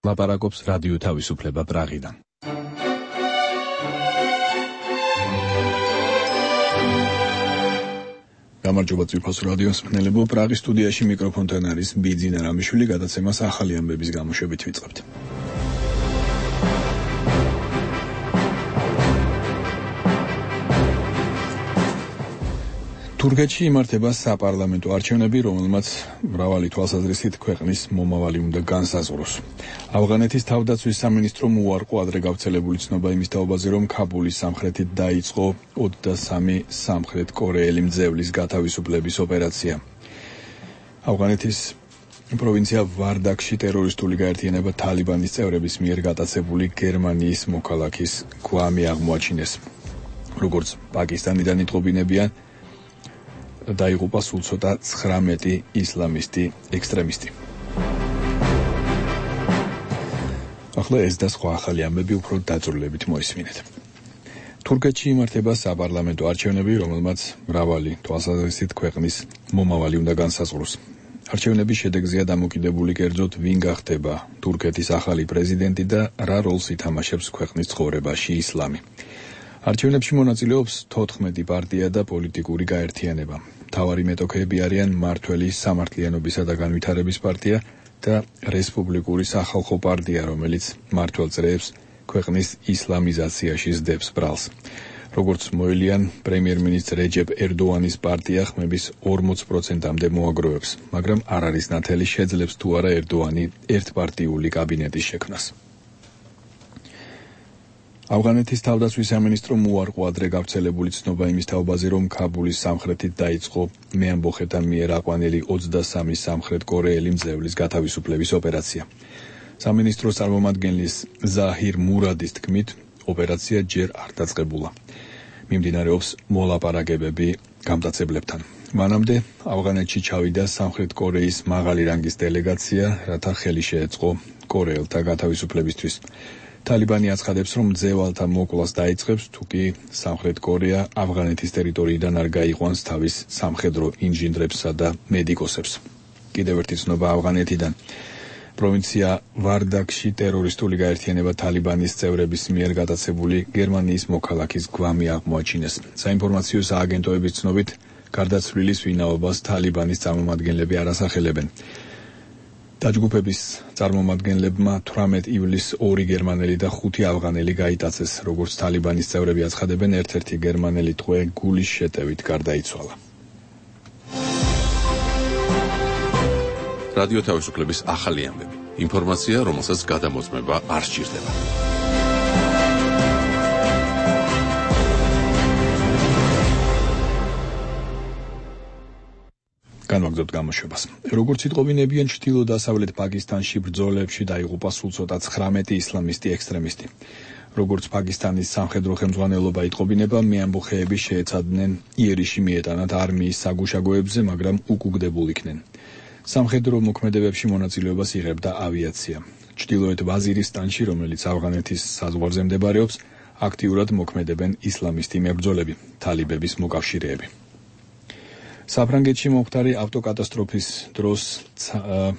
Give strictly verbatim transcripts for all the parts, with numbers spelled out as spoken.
ლაპარაკობს რადიო თავისუფლება პრაღიდან. გამარჯობა ძვირფასო რადიოს მსმენელებო, პრაღის სტუდიაში მიკროფონთან არის ბიძინა რამიშვილი, გადაცემას ახალი ამბების გამოშვებით ვიწყებთ. თურქეთში იმართება საპარლამენტო არჩევნები, რომელმაც მრავალი თვალსაზრისით ქვეყნის მომავალი უნდა განსაზღვროს. ავღანეთის თავდაცვის სამინისტრომ უარყო ადრე გავრცელებული ცნობა იმის თაობაზე, რომ ქაბულის სამხრეთით დაიწყო ოცდასამი სამხრეთ კორეელი მძევლის გათავისუფლების ოპერაცია. ავღანეთის პროვინცია ვარდაკში ტერორისტული გაერთიანება თალიბანის წევრების მიერ გატაცებული გერმანიის მოქალაქის გვამი აღმოაჩინეს. როგორც პაკისტანიდან იტყობინებიან, დაიღუპა სულ ცოტა ცხრამეტი ისლამისტი ექსტრემისტი. ახლა ეს და სხვა ახალი ამბები უფრო დაწვრილებით მოისმინეთ. თურქეთში იმართება საპარლამენტო არჩევნები, რომელმაც მრავალი თვალსაზრისით ქვეყნის მომავალი უნდა განსაზღვროს. არჩევნების შედეგზეა დამოკიდებული კერძოდ ვინ გახდება თურქეთის ახალი პრეზიდენტი და რა როლს ითამაშებს ქვეყნის ცხოვრებაში ისლამი. არჩევნებში მონაწილეობს თოთხმეტი პარტია და პოლიტიკური გაერთიანება. მთავარი მეტოქეები არიან მმართველი სამართლიანობისა და განვითარების პარტია და რესპუბლიკური სახალხო პარტია, რომელიც მმართველ წრეებს ქვეყნის ისლამიზაციაში სდებს ბრალს. როგორც მოელიან, პრემიერ-მინისტრ რეჯეპ ერდოანის პარტია ხმების ორმოც პროცენტამდე მოაგროვებს, მაგრამ არ არის ნათელი შეძლებს თუ არა ერდოანი ერთპარტიული კაბინეტის შექმნას. ავღანეთის თავდაცვის სამინისტრომ უარყო ადრე გავრცელებული ცნობა იმის თაობაზე, რომ ქაბულის სამხრეთით დაიწყო მეამბოხეთა მიერ აყვანილი ოცდასამი სამხრეთ კორეელი მძევლის გათავისუფლების ოპერაცია. სამინისტროს წარმომადგენლის ზაჰირ მურადის თქმით, ოპერაცია ჯერ არ დაწყებულა. მიმდინარეობს მოლაპარაკებები გამტაცებლებთან. მანამდე ავღანეთში ჩავიდა სამხრეთ კორეის მაღალი რანგის დელეგაცია, რათა ხელი შეეწყო კორეელთა გათავისუფლებისთვის. თალიბანი აცხადებს, რომ მძევალთა მოკვლას დაიწყებს, თუკი სამხრეთ კორეა ავღანეთის ტერიტორიიდან არ გაიყვანს თავის სამხედრო ინჟინრებსა და მედიკოსებს. კიდევ ერთი ცნობა ავღანეთიდან. პროვინცია ვარდაკში ტერორისტული გაერთიანება თალიბანის წევრების მიერ გატაცებული გერმანიის მოქალაქის გვამი აღმოაჩინეს. საინფორმაციო სააგენტოების ცნობით, გარდაცვლილის ვინაობას თალიბანის წარმომადგენლები არ ასახელებენ. დაჯგუფების წარმომადგენლებმა თვრამეტ ივლისს ორი გერმანელი და ხუთი ავღანელი გაიტაცეს. როგორც თალიბანის წევრები აცხადებენ, ერთ-ერთი გერმანელი ტყვე გულის შეტევით გარდაიცვალა. რადიო თავისუფლების ახალი ამბები. ინფორმაცია, რომელსაც გადამოწმება არ სჭირდება. განვაგრძობთ გამოშვებას. როგორც იტყობინებიან, ჩრდილო-დასავლეთ პაკისტანში ბრძოლებში დაიღუპა სულ ცოტა ცხრამეტი ისლამისტი ექსტრემისტი. როგორც პაკისტანის სამხედრო ხელმძღვანელობა იტყობინება, მეამბოხეები შეეცადნენ იერიში მიეტანათ არმიის საგუშაგოებზე, მაგრამ უკუგდებულ იქნენ. სამხედრო მოქმედებებში მონაწილეობას იღებდა ავიაცია. ჩრდილოეთ ვაზირისტანში, რომელიც ავღანეთის საზღვარზე მდებარეობს, აქტიურად მოქმედებენ ისლამისტი მებრძოლები, თალიბების მოკავშირეები. საფრანგეთში მომხდარი ავტოკატასტროფის დროს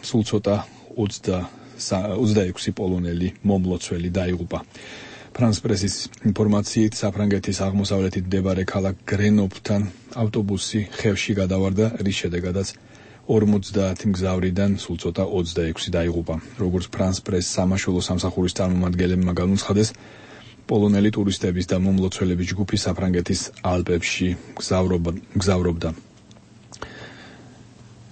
სულ ცოტა ოცდაექვსი პოლონელი მომლოცველი დაიღუპა. ფრანს პრესის ინფორმაციით, საფრანგეთის აღმოსავლეთით მდებარე ქალაქ გრენოფთან ავტობუსი ხევში გადავარდა, რის შედეგადაც ორმოცდაათი მგზავრიდან სულ ცოტა ოცდაექვსი დაიღუპა. როგორც ფრანს პრეს სამაშველო სამსახურის წარმომადგენლებმა განუცხადეს, პოლონელი ტურისტების და მომლოცველების ჯგუფი საფრანგეთის ალპებში მგზავრობდა.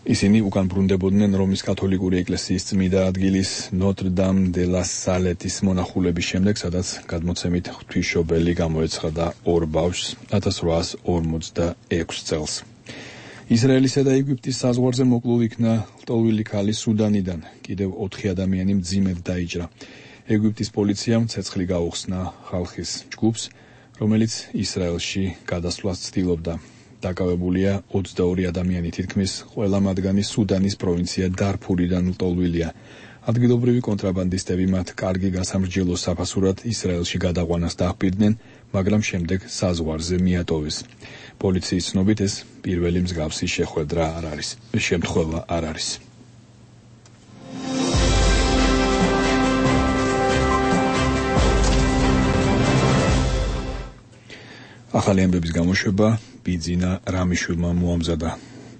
ისინი უკან ბრუნდებოდნენ რომის კათოლიკური ეკლესიის წმინდა ადგილის ნოტრ-დამ დე ლა სალეტის მონახულების შემდეგ, სადაც გადმოცემით ღვთისმშობელი გამოეცხადა ორ ბავშვს ათას რვაას ორმოცდაექვსი წელს. ისრაელისა და ეგვიპტის საზღვარზე მოკლულ იქნა ლტოლვილი ქალი სუდანიდან. კიდევ ოთხი ადამიანი მძიმედ დაიჭრა. ეგვიპტის პოლიციამ ცეცხლი გაუხსნა ხალხის ჯგუფს, რომელიც ისრაელში გადასვლას ცდილობდა. დაკავებულია ოცდაორი ადამიანი, თითქმის ყველა მათგანი სუდანის პროვინცია დარფურიდან ლტოლვილია. ადგილობრივი კონტრაბანდისტები მათ კარგი გასამრჯელოს საფასურად ისრაელში გადაყვანას დაჰპირდნენ, მაგრამ შემდეგ საზღვარზე მიატოვეს. პოლიციის ცნობით ეს პირველი მსგავსი შეხვედრა არ არის, შემთხვევა არ არის. ახალი ამბების გამოშვება ბიძინა რამიშვილმა მოამზადა.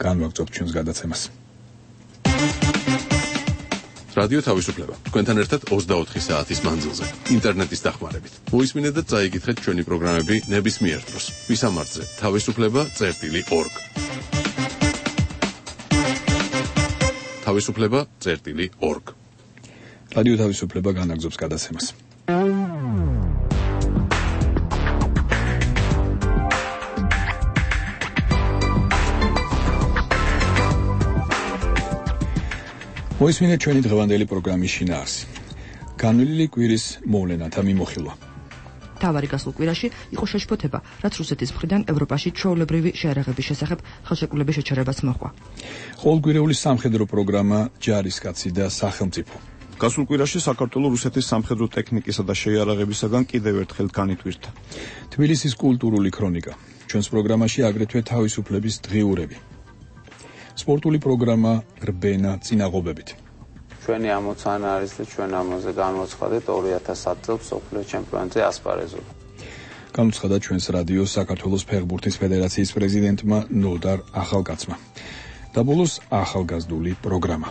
განვაგრძობთ ჩვენს გადაცემას. რადიო თავისუფლება. თქვენთან ერთად ოცდაოთხი საათის მანძილზე. ინტერნეტის დახმარებით. მოისმინეთ და წაიკითხეთ ჩვენი პროგრამები ნებისმიერ დროს. ვისამართზე თავისუფლება წერტილი ორგ. თავისუფლება წერტილი ორგ. რადიო თავისუფლება განაგრძობს გადაცემას. მოისმინეთ ჩვენი დღევანდელი პროგრამის შინაარსი. განვლილი კვირის მოვლენათა მიმოხილვა. თავარი გასულ კვირაში იყო შეშფოთება, რაც რუსეთის მხრიდან ევროპაში ჩვეულებრივი შეერაღების შესახებ ხელშეკრულების შეჩერებას მოჰყვა. ყოველკვირეული სამხედრო პროგრამა ჯარისკაცი და სახელმწიფო. გასულ კვირაში საქართველოს რუსეთის სამხედრო ტექნიკისა და შეიარაღებისაგან კიდევ ერთხელ განიტვირთა. თბილისის კულტურული ქრონიკა. ჩვენს პროგრამაში აგრეთვე თავისუფლების დღიურები. სპორტული პროგრამა რბენა წინაღობებით. ჩვენი ამოცანა არის და ჩვენ ამაზე განვაცხადეთ ორი ათას ათი წელს მსოფლიო ჩემპიონატზე ასპარეზობა. განუცხადა ჩვენს რადიოს საქართველოს ფეხბურთის ფედერაციის პრეზიდენტმა ნოდარ ახალკაცმა. და ბოლოს ახალგაზრდული პროგრამა.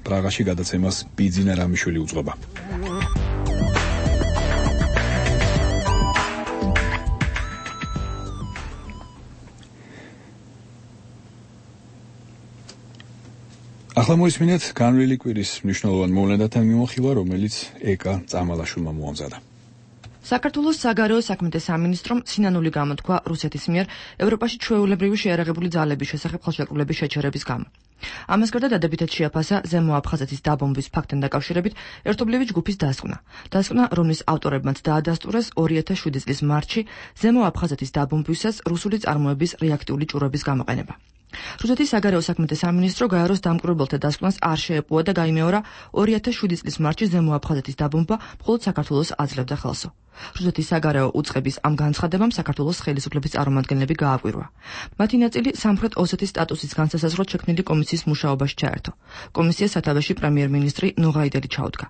პრაღაში გადაცემას ბიძინა რამიშვილი უძღვება. ახლა მოისმინეთ განვლილი კვირის მნიშვნელოვან მოვლენათან მიმოხილვა, რომელიც ეკა წამალაშვილმა მოამზადა. საქართველოს საგარეო საქმეთა სამინისტრომ სინანული გამოთქვა რუსეთის მიერ ევროპაში ჩვეულებრივი შეიარაღებული ძალების შესახებ ხელშეკრულების შეჩერების გამო. ამას გარდა დადებითად შეაფასა ზემო აფხაზეთის დაბომბვის ფაქტთან დაკავშირებით ერთობლივი ჯგუფის დასკვნა. დასკვნა, რომლის ავტორებმაც დაადასტურეს ორი ათას შვიდი წლის მარტში ზემო აფხაზეთის დაბომბვისას რუსული წარმოების რეაქტიული ჭურვების გამოყენება. რუსეთის საგარეო საქმეთა სამინისტრო გაეროს დამკვირვებელთა დასკვნას არ შეეპოვა და გაიმეორა ორი ათას შვიდი წლის მარტში ზემო აფხაზეთის დაბომბვა მხოლოდ საქართველოს აძლევდა ხელსო. რუსეთის საგარეო უწყების ამ განცხადებამ საქართველოს ხელისუფლების წარმომადგენლები გააკვირვა. მათი ნაწილი სამხრეთ ოსეთის სტატუსის განსასაზღვროდ შექმნილი კომისიის მუშაობაში ჩაერთო. კომისიას სათავეში პრემიერ-მინისტრი ნოღაიდელი ჩაუდგა.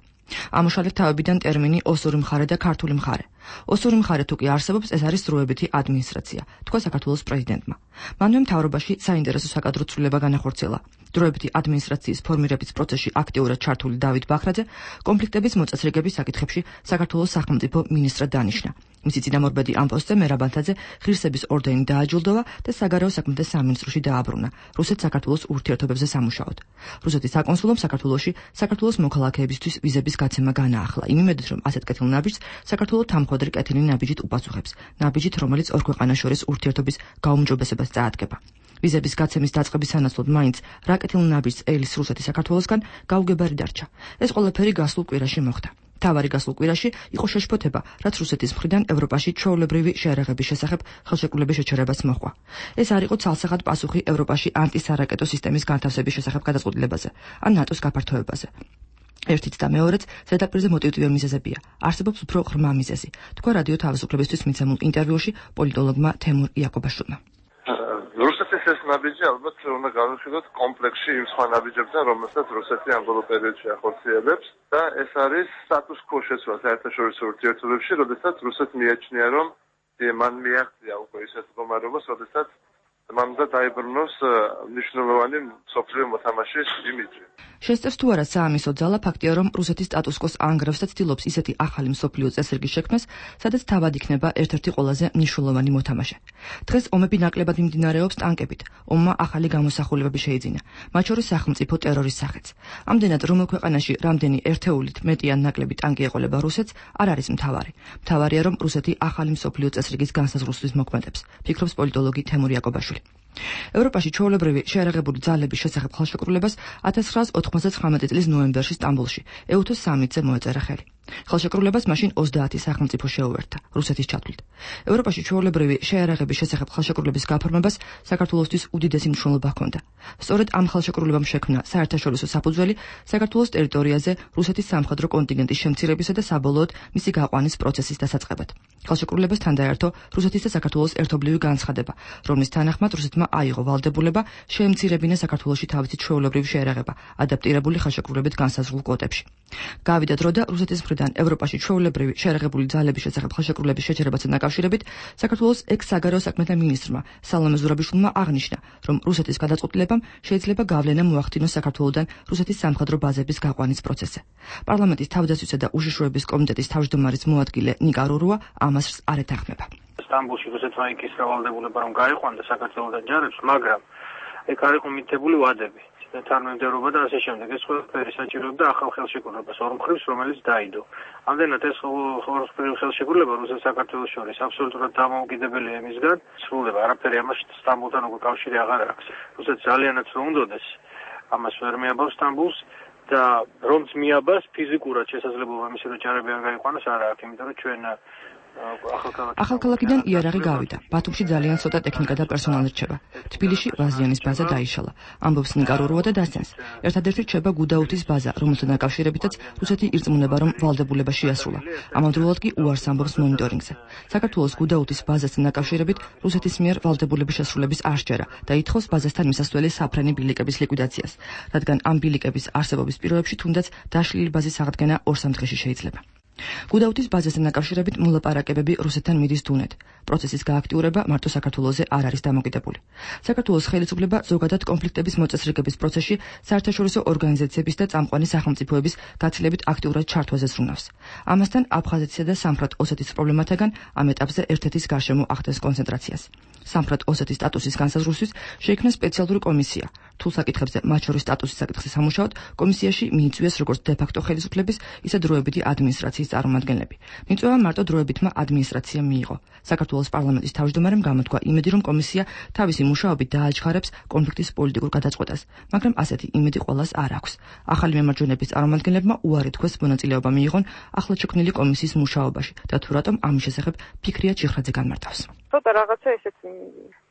ამოშალეთ თავებიდან ტერმინი ოსური მხარე და ქართული მხარე. ოსური მხარე თუ კი არსებობს, ეს არის დროებითი ადმინისტრაცია, თქვა საქართველოს პრეზიდენტმა. მანვე მთავრობაში საინტერესო საკადრო ცვლილება განახორციელა. დროებითი ადმინისტრაციის ფორმირების პროცესში აქტიურად ჩართული დავით ბახრაძე კონფლიქტების მოწესრიგების საკითხებში საქართველოს სახელმწიფო მინისტრად დანიშნა. მისი წინამორბედი ამ პოსტზე მერაბანთაძე ღირსების ორდენით დააჯილდოვა და საგარეო საქმეთა სამინისტროში დააბრუნა რუსეთ-საქართველოს ურთიერთობებზე სამუშაოდ. რუსეთის საკონსულომ საქართველოში საქართველოს მოქალაქეებისთვის ვიზების გაცემა განაახლა, იმ იმედით, რომ ასეთ კეთილ ნაბიჯს საქართველოს თამხვედრი კეთილი ნაბიჯით უპასუხებს, ნაბიჯით, რომელიც ორ ქვეყანას შორის ურთიერთობის გაუმჯობესებას წაადგება. ვიზების გაცემის დაწყების სანაცვლოდ მაინც რა კეთილ ნაბიჯს ელის რუსეთის საქართველოსგან გაუგებარი დარჩა. ეს ყველაფერი გასულ კვირაში მოხდა. თავარი გასულ კვირაში იყო შეშფოთება, რაც რუსეთის მხრიდან ევროპაში ჩვეულებრივი შეიარაღების შესახებ ხელშეკრულების შეჩერებას მოჰყვა. ეს არ იყო ცალსახად პასუხი ევროპაში ანტისარაკეტო სისტემის განთავსების შესახებ გადაწყვეტილებაზე, ან ნატოს გაფართოებაზე. ერთიც და მეორეც ზედაპირზე მოტივტივე მიზეზებია. არსებობს უფრო ღრმა მიზეზი, თქვა რადიო თავისუფლებისთვის მიცემულ ინტერვიუში პოლიტოლოგმა თემურ იაკობაშვილმა. რუსეთის ეს ნაბიჯი ალბათ უნდა გავიხილოთ კომპლექსში იმ სხვა ნაბიჯებთან, რომელსაც რუსეთი ამ ბოლო პერიოდში ახორციელებს და ეს არის სტატუს კვო შეცვლა საერთაშორისო ურთიერთობებში, როდესაც რუსეთს მიაჩნია, რომ მან მიაღწია უკვე ისეთ მდგომარეობას, როდესაც მან უნდა დაიბრუნოს მნიშვნელოვანი მსოფლიო მოთამაშის იმიჯი. შესწევს თუ არა საამისო ძალა ფაქტია, რომ რუსეთის სტატუს კვოს ანგრევს და ცდილობს ისეთი ახალი მსოფლიო წესრიგის შექმნას, სადაც თავად იქნება ერთ-ერთი ყველაზე მნიშვნელოვანი მოთამაშე. დღეს ომები ნაკლებად მიმდინარეობს ტანკებით. ომმა ახალი გამოსახულებები შეიძინა, მათ შორის სახელმწიფო ტერორის სახეც. ამდენად, რომელ ქვეყანაში რამდენი ერთეულით მეტი ან ნაკლები ტანკი ეყოლება რუსეთს, არ არის მთავარი. მთავარია, რომ რუსეთი ახალი მსოფლიო წესრიგის განსაზღვრისთვის მოქმედებს, ფიქრობს პოლიტოლოგი თემურ იაკობაშვილი. ევროპაში ჩვეულებრივი შეიარაღებული ძალების შესახებ ხელშეკრულებას ათას ცხრაას ოთხმოცდაცხრამეტი წლის ნოემბერში სტამბოლში ეუთოს სამიტზე მოეწერა ხელი. ხელშეკრულებას მაშინ ოცდაათი სახელმწიფო შეუერთდა რუსეთის ჩათვლით. ევროპაში ჩვეულებრივი შეიარაღების შესახებ ხელშეკრულების გაფორმებას საქართველოსთვის უდიდესი მნიშვნელობა ჰქონდა. სწორედ ამ ხელშეკრულებამ შექმნა საერთაშორისო საფუძველი საქართველოს ტერიტორიაზე რუსეთის სამხედრო კონტინგენტის შემცირებისა და საბოლოოდ მისი გაყვანის პროცესის დასაწყებად. ხელშეკრულებასთან დაერთო რუსეთის და საქართველოს ერთობლივი განცხადება, რომლის თანახმად რუსეთმა აიღო ვალდებულება შეემცირებინა საქართველოში თავისი ჩვეულებრივი შეიარაღება, ადაპტირებული ხელშეკრულებით განსაზღვრულ კვოტებში. გავიდა დრო და რუსეთის მხრიდან ევროპაში ჩვეულებრივი შეერაღებული ძალების შესახებ ხელშეკრულების შეჩერებასთან დაკავშირებით საქართველოს ექს-საგარეო საქმეთა მინისტრმა სალომე ზურაბიშვილმა აღნიშნა, რომ რუსეთის გადაწყვეტილებამ შეიძლება გავლენა მოახდინოს საქართველოდან რუსეთის სამხედრო ბაზების გაყვანის პროცესზე. პარლამენტის თავდაცვისა და უშიშროების კომიტეტის თავმჯდომარის მოადგილე ნიკა რურუა ამას არ ეთანხმება. სტამბოლში რუსეთმა იკისრა ვალდებულება რომ გაიყვანდა საქართველოდან ჯარებს, მაგრამ ეგ არ იყო მითითებული ვადები. თანამდებობა და ასე შემდეგ. ეს ყველაფერი საჭიროებდა ახალ ხელშეკრულებას ორ მხრივს, რომელიც დაიდო. ამდენად ეს ორ ხელშეკრულება რუსეთს საქართველოს შორის აბსოლუტურად დამოუკიდებელია იმისგან, სრულდება არაფერი ამაში სტამბოლთან უკვე კავშირი აღარ აქვს. რუსეთს ძალიანაც რომ უნდოდეს, ამას ვერ მიაბავს სტამბოლს და რომც მიაბას ფიზიკურად შესაძლებლობა მისი რომ ჯარები არ გაიყვანოს არ აქვს, იმიტომ რომ ჩვენ ახალქალაქიდან იარაღი გავიდა. ბათუმში ძალიან ცოტა ტექნიკა და პერსონალი რჩება. თბილისში ვაზიანის ბაზა დაიშალა. ამბობს ნიკა რურუა და დასცენს. ერთადერთი რჩება გუდაუთის ბაზა, რომელთან დაკავშირებითაც რუსეთი ირწმუნება, რომ ვალდებულება შეასრულა. ამავდროულად კი უარს ამბობს მონიტორინგზე. საქართველოს გუდაუთის ბაზასთან დაკავშირებით რუსეთის მიერ ვალდებულების შესრულების არ სჯერა და ითხოვს ბაზასთან მისასვლელი საფრენი ბილიკების ლიკვიდაციას, რადგან ამ ბილიკების არსებობის პირობებში თუნდაც დაშლილი ბაზის აღდგენა ორ-სამ დღეში შეიძლება. გუდაუთის ბაზასთან დაკავშირებით მოლაპარაკებები რუსეთთან მიდის დუნეთ. პროცესის გააქტიურება მარტო საქართველოზე არ არის დამოკიდებული. საქართველოს ხელისუფლება ზოგადად კონფლიქტების მოწესრიგების პროცესში საერთაშორისო ორგანიზაციების და წამყვანი სახელმწიფოების გაცილებით აქტიურად ჩართვაზე ზრუნავს. ამასთან აფხაზეთისა და სამხრეთ ოსეთის პრობლემათაგან ამ ეტაპზე ერთ-ერთის გარშემო ახდენს კონცენტრაციას. სამხრეთ ოსეთის სტატუსის განსაზღვრისთვის შეიქმნა სპეციალური კომისია. რთულ საკითხებზე, მათ შორის სტატუსის საკითხზე სამუშაოდ, კომისიაში მიიწვიეს როგორც დე-ფაქტო ხელისუფლების, ისე დროებითი ადმინისტრაციის წარმომადგენლები. მიწვევა მარტო დროებითმა ადმინისტრაციამ მიიღო. საქართველოს პარლამენტის თავმჯდომარემ გამოთქვა იმედი, რომ კომისია თავისი მუშაობით დააჩქარებს კონფლიქტის პოლიტიკურ გადაწყვეტას, მაგრამ ასეთი იმედი ყველას არ აქვს. ახალი მემარჯვენეების წარმომადგენლებმა უარი თქვეს მონაწილეობა მიიღონ ახლად შექმნილი კომისიის მუშაობაში და თუ რატომ ამის შესახებ ფიქრია ჩიხრაძე განმარტავს. ცოტა რაღაცა ესეც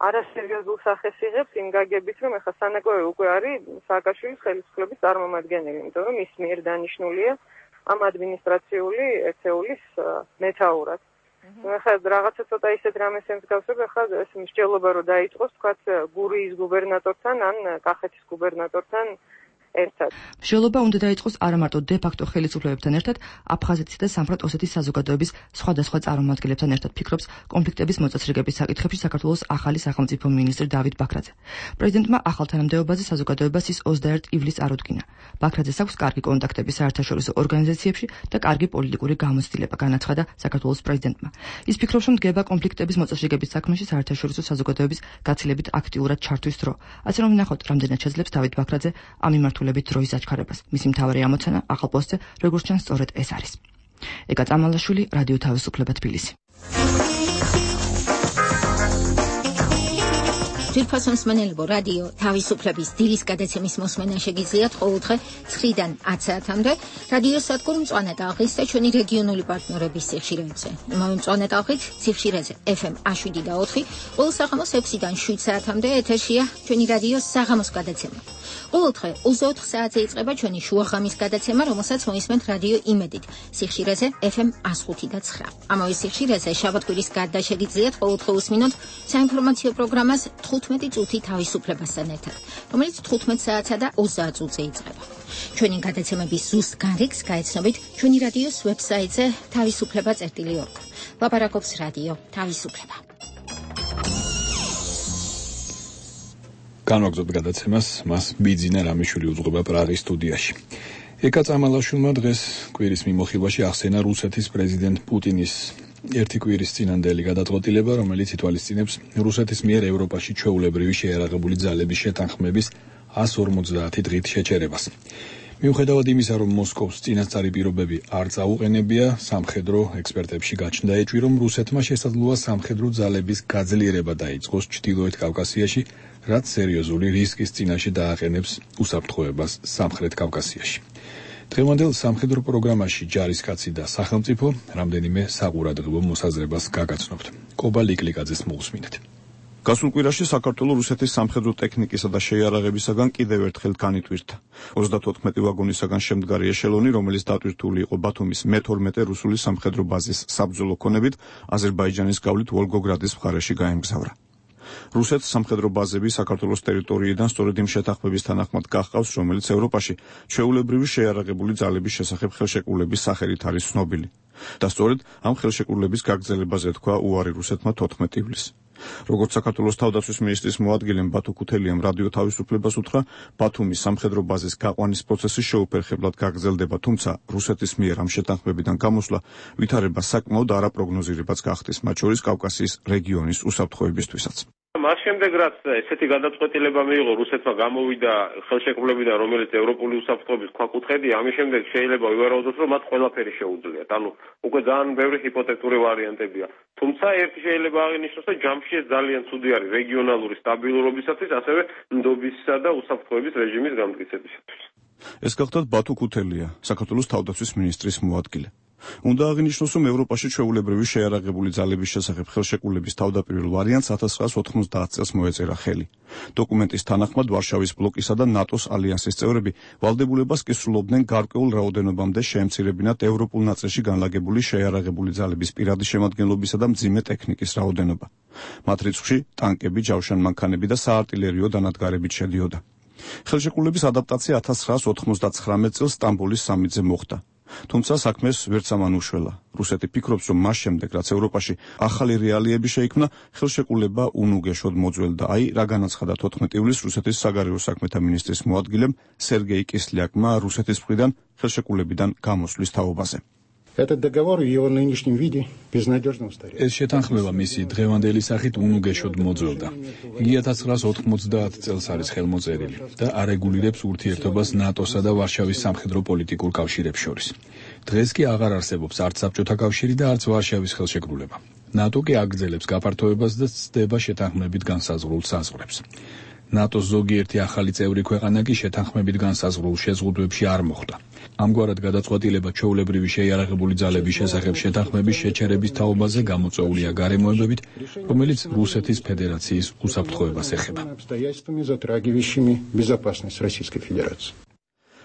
არასერიოზულ სახეს იღებს იმ გაგებით, რომ ეხლა სანაკლავი უკვე არის სააკაშვილის ხელისუფლების წარმომადგენელი, იმიტომ რომ ის მიერ დანიშნულია ამ ადმინისტრაციული ეთეულის მეთაურად. ეხლა რაღაცა ცოტა ისეთ რამეს ემსგავსებ, ეხლა ეს მსჯელობა რომ დაიწყოს, თქვათ გურიის გუბერნატორთან ან კახეთის გუბერნატორთან ერთად. მსჯელობა უნდა დაიწყოს არა მარტო დე-ფაქტო ხელისუფლებებთან ერთად, აფხაზეთის და სამხრეთ ოსეთის საზოგადოების სხვადასხვა წარმომადგენლებთან ერთად, ფიქრობს კონფლიქტების მოწესრიგების საკითხებში საქართველოს ახალი სახელმწიფო მინისტრი დავით ბაქრაძე. პრეზიდენტმა ახალ თანამდებობაზე საზოგადოებას ის ოცდაერთი ივლისს არუდგინა. ბაქრაძეს აქვს კარგი კონტაქტები საერთაშორისო ორგანიზაციებში და კარგი პოლიტიკური გამოცდილება, განაცხადა საქართველოს პრეზიდენტმა. ის ფიქრობს, რომ დგება კონფლიქტების მოწესრიგების საქმეში საერთაშორისო საზოგადოების გაცილებით აქტიურად ჩართვის დრო. ასე რომ ვნახოთ, რამდენად შეძლებს დავით ბაქრაძე ამ მიმართულებით დროის აჩქარებას. მისი მთავარი ამოცანა ახალ პოსტზე, როგორც ჩანს, სწორედ ეს არის. ეკა წამალაშვილი, რადიო თავისუფლება თბილისი. ძვირფასო მსმენელებო, რადიო თავისუფლების დილის გადაცემის მოსმენა შეგიძლიათ ყოველდღე ცხრიდან ათ საათამდე რადიო სადგურ მწვანე ტალღის და ჩვენი რეგიონული პარტნიორების სიხშირეებზე. იმავე მწვანე ტალღით სიხშირეზე ეფ ემ შვიდი და ოთხი, ყოველ საღამოს ექვსიდან შვიდ საათამდე ეთერშია ჩვენი რადიო საღამოს გადაცემა. ყოველდღე ოცდაოთხ საათზე იწყება ჩვენი შუაღამის გადაცემა, რომელსაც მოისმენთ რადიო იმედით სიხშირეზე ეფ ემ ხუთი და ცხრა. ამავე სიხშირეზე შაბათ-კვირის გარდა შეგიძლიათ ყოველდღე უსმინოთ საინფორმაციო პროგრამას თხუთმეტი წუთი თავისუფლებასთან ერთად, რომელიც თხუთმეტ საათსა და ოცდაათ წუთზე იწყება. ჩვენი გადაცემების ზუსტ გარიგს გაეცნობით ჩვენი რადიოს ვებსაიტზე თავისუფლება წერტილი ორგ. ლაპარაკობს რადიო თავისუფლება. განვაგრძობ გადაცემას, მას ბიძინა რამიშვილი უძღვება პრაღის სტუდიაში. ეკა წამალაშვილმა დღეს კვირის მიმოხილვაში ახსენა რუსეთის პრეზიდენტ პუტინის ერთი კვირის წინანდელი გადაწყვეტილება, რომელიც ითვალისწინებს რუსეთის მიერ ევროპაში ჩვეულებრივი შეიარაღებული ძალების შეთანხმების εκατს ორმოცდაათი დღით შეჩერებას. მიუხედავად იმისა, რომ მოსკოვს წინასწარი პირობები არ წაუყენებია, სამხედრო ექსპერტებში გაჩნდა ეჭვი, რომ რუსეთმა შესაძლოა სამხედრო ძალების გაძლიერება დაიწყოს ჩრდილოეთ კავკასიაში, რაც სერიოზული რისკის წინაშე დააყენებს უსაფრთხოებას სამხრეთ კავკასიაში. დღევანდელ სამხედრო პროგრამაში ჯარისკაცი და სახელმწიფო რამდენიმე საყურადღებო მოსაზრებას გაგაცნობთ. კობა ლიკლიკაძეს მოусმინეთ. გასულ კვირაში საქართველოს რუსეთის სამხედრო ტექნიკისა და შეიარაღებისაგან კიდევ ერთხელ განიტვირთა. ოცდათოთხმეტი ვაგონისაგან შემდგარი ეშელონი, რომელიც დატვირთული იყო ბათუმის მე თორმეტე რუსული სამხედრო ბაზის საბრძოლო ქონებით, აზერბაიჯანის გავლით ვოლგოგრადის მხარეში გაემგზავრა. რუსეთს სამხედრო ბაზები საქართველოს ტერიტორიიდან სწორედ იმ შეთანხმების თანახმად გახყავს, რომელიც ევროპაში ჩვეულებრივი შეიარაღებული ძალების შესახებ ხელშეკრულების სახელით არის ცნობილი. და სწორედ ამ ხელშეკრულების გაგრძელებაზე თქვა უარი რუსეთმა თოთხმეტ ივლისს. როგორც საქართველოს თავდაცვის მინისტრის მოადგილემ ბათუ ქუთელიამ რადიო თავისუფლებას უთხრა, ბათუმის სამხედრო ბაზის გაყვანის პროცესი შეუფერხებლად გაგრძელდება, თუმცა რუსეთის მიერ ამ შეთანხმებიდან გამოსვლა ვითარებას საკმაოდ არაპროგნოზირებაც გახდეს, მათ შორის კავკასიის რეგიონის უსაფრთხოებისთვისაც. მას შემდეგ რაც ესეთი გადაწყვეტილება მიიღო რუსეთმა გამოვიდა ხელშეკრულებიდან, რომელიც ევროპული უსაფრთხოების ქვაკუთხედია, ამის შემდეგ შეიძლება ვივარაუდოთ, რომ მათ ყველაფერი შეუძლიათ. ანუ უკვე ძალიან ბევრი ჰიპოთეტური ვარიანტებია. თუმცა ერთი შეიძლება აღინიშნოს, რომ ჯამში ეს ძალიან ცუდი არის რეგიონალური სტაბილურობისათვის, ასევე ნდობისა და უსაფრთხოების რეჟიმის განმტკიცებისათვის. ეს გახლდათ ბათუ ქუთელია, საქართველოს თავდაცვის მინისტრის მოადგილე. უნდა აღინიშნოს, რომ ევროპაში ჩვეულებრივი შეიარაღებული ძალების შესახებ ხელშეკრულების თავდაპირველ ვარიანტს ათას ცხრაას ოთხმოცდაათ წელს მოეწერა ხელი. დოკუმენტის თანახმად ვარშავის ბლოკისა და ნატოს ალიანსის წევრები ვალდებულებას კისრულობდნენ გარკვეულ რაოდენობამდე შეემცირებინათ ევროპულ ნაწილში განლაგებული შეიარაღებული ძალების პირადი შემადგენლობისა და მძიმე ტექნიკის რაოდენობა. მათ რიცხვში ტანკები, ჯავშანმანქანები და საარტილერიო დანადგარებით შედიოდა. ხელშეკრულების ადაპტაცია ათას ცხრაას ოთხმოცდაცხრამეტ წელს სტამბოლის სამიტზე მოხდა. თუმცა საქმეს ვერც ამან უშველა. რუსეთი ფიქრობს, რომ მას შემდეგ, რაც ევროპაში ახალი რეალიები შეიქმნა, ხელშეკრულება უნუგეშოდ მოძველდა. აი, რა განაცხადა თოთხმეტ ივლისს რუსეთის საგარეო საქმეთა მინისტრის მოადგილემ სერგეი კისლიაკმა რუსეთის მხრიდან ხელშეკრულებიდან გამოსვლის თაობაზე. Этот договор в его нынешнем виде безнадежно устарел. ეს შეთანხმება მისი დღევანდელი სახით უნუგეშოდ მოძველდა. იგი ათას ცხრაას ოთხმოცდაათ წელს არის ხელმოწერილი და არეგულირებს ურთიერთობას ნატოსა და ვარშავის სამხედრო პოლიტიკურ კავშირებს შორის. დღეს კი აღარ არსებობს არც საბჭოთა კავშირი და არც ვარშავის ხელშეკრულება. ნატო კი აგრძელებს გაფართოებას და ცდება შეთანხმებით განსაზღვრულ საზღვრებს. ნატოს ზოგიერთი ახალი წევრი ქვეყანა კი შეთანხმებით განსაზღვრულ შეზღუდვებში არ მოხვდა. ამგვარად გადაწყვეტილება ჩვეულებრივი შეიარაღებული ძალების შესახებ შეთანხმების შეჩერების თაობაზე გამოწვეულია გარემოებებით, რომელიც რუსეთის ფედერაციის უსაფრთხოებას ეხება.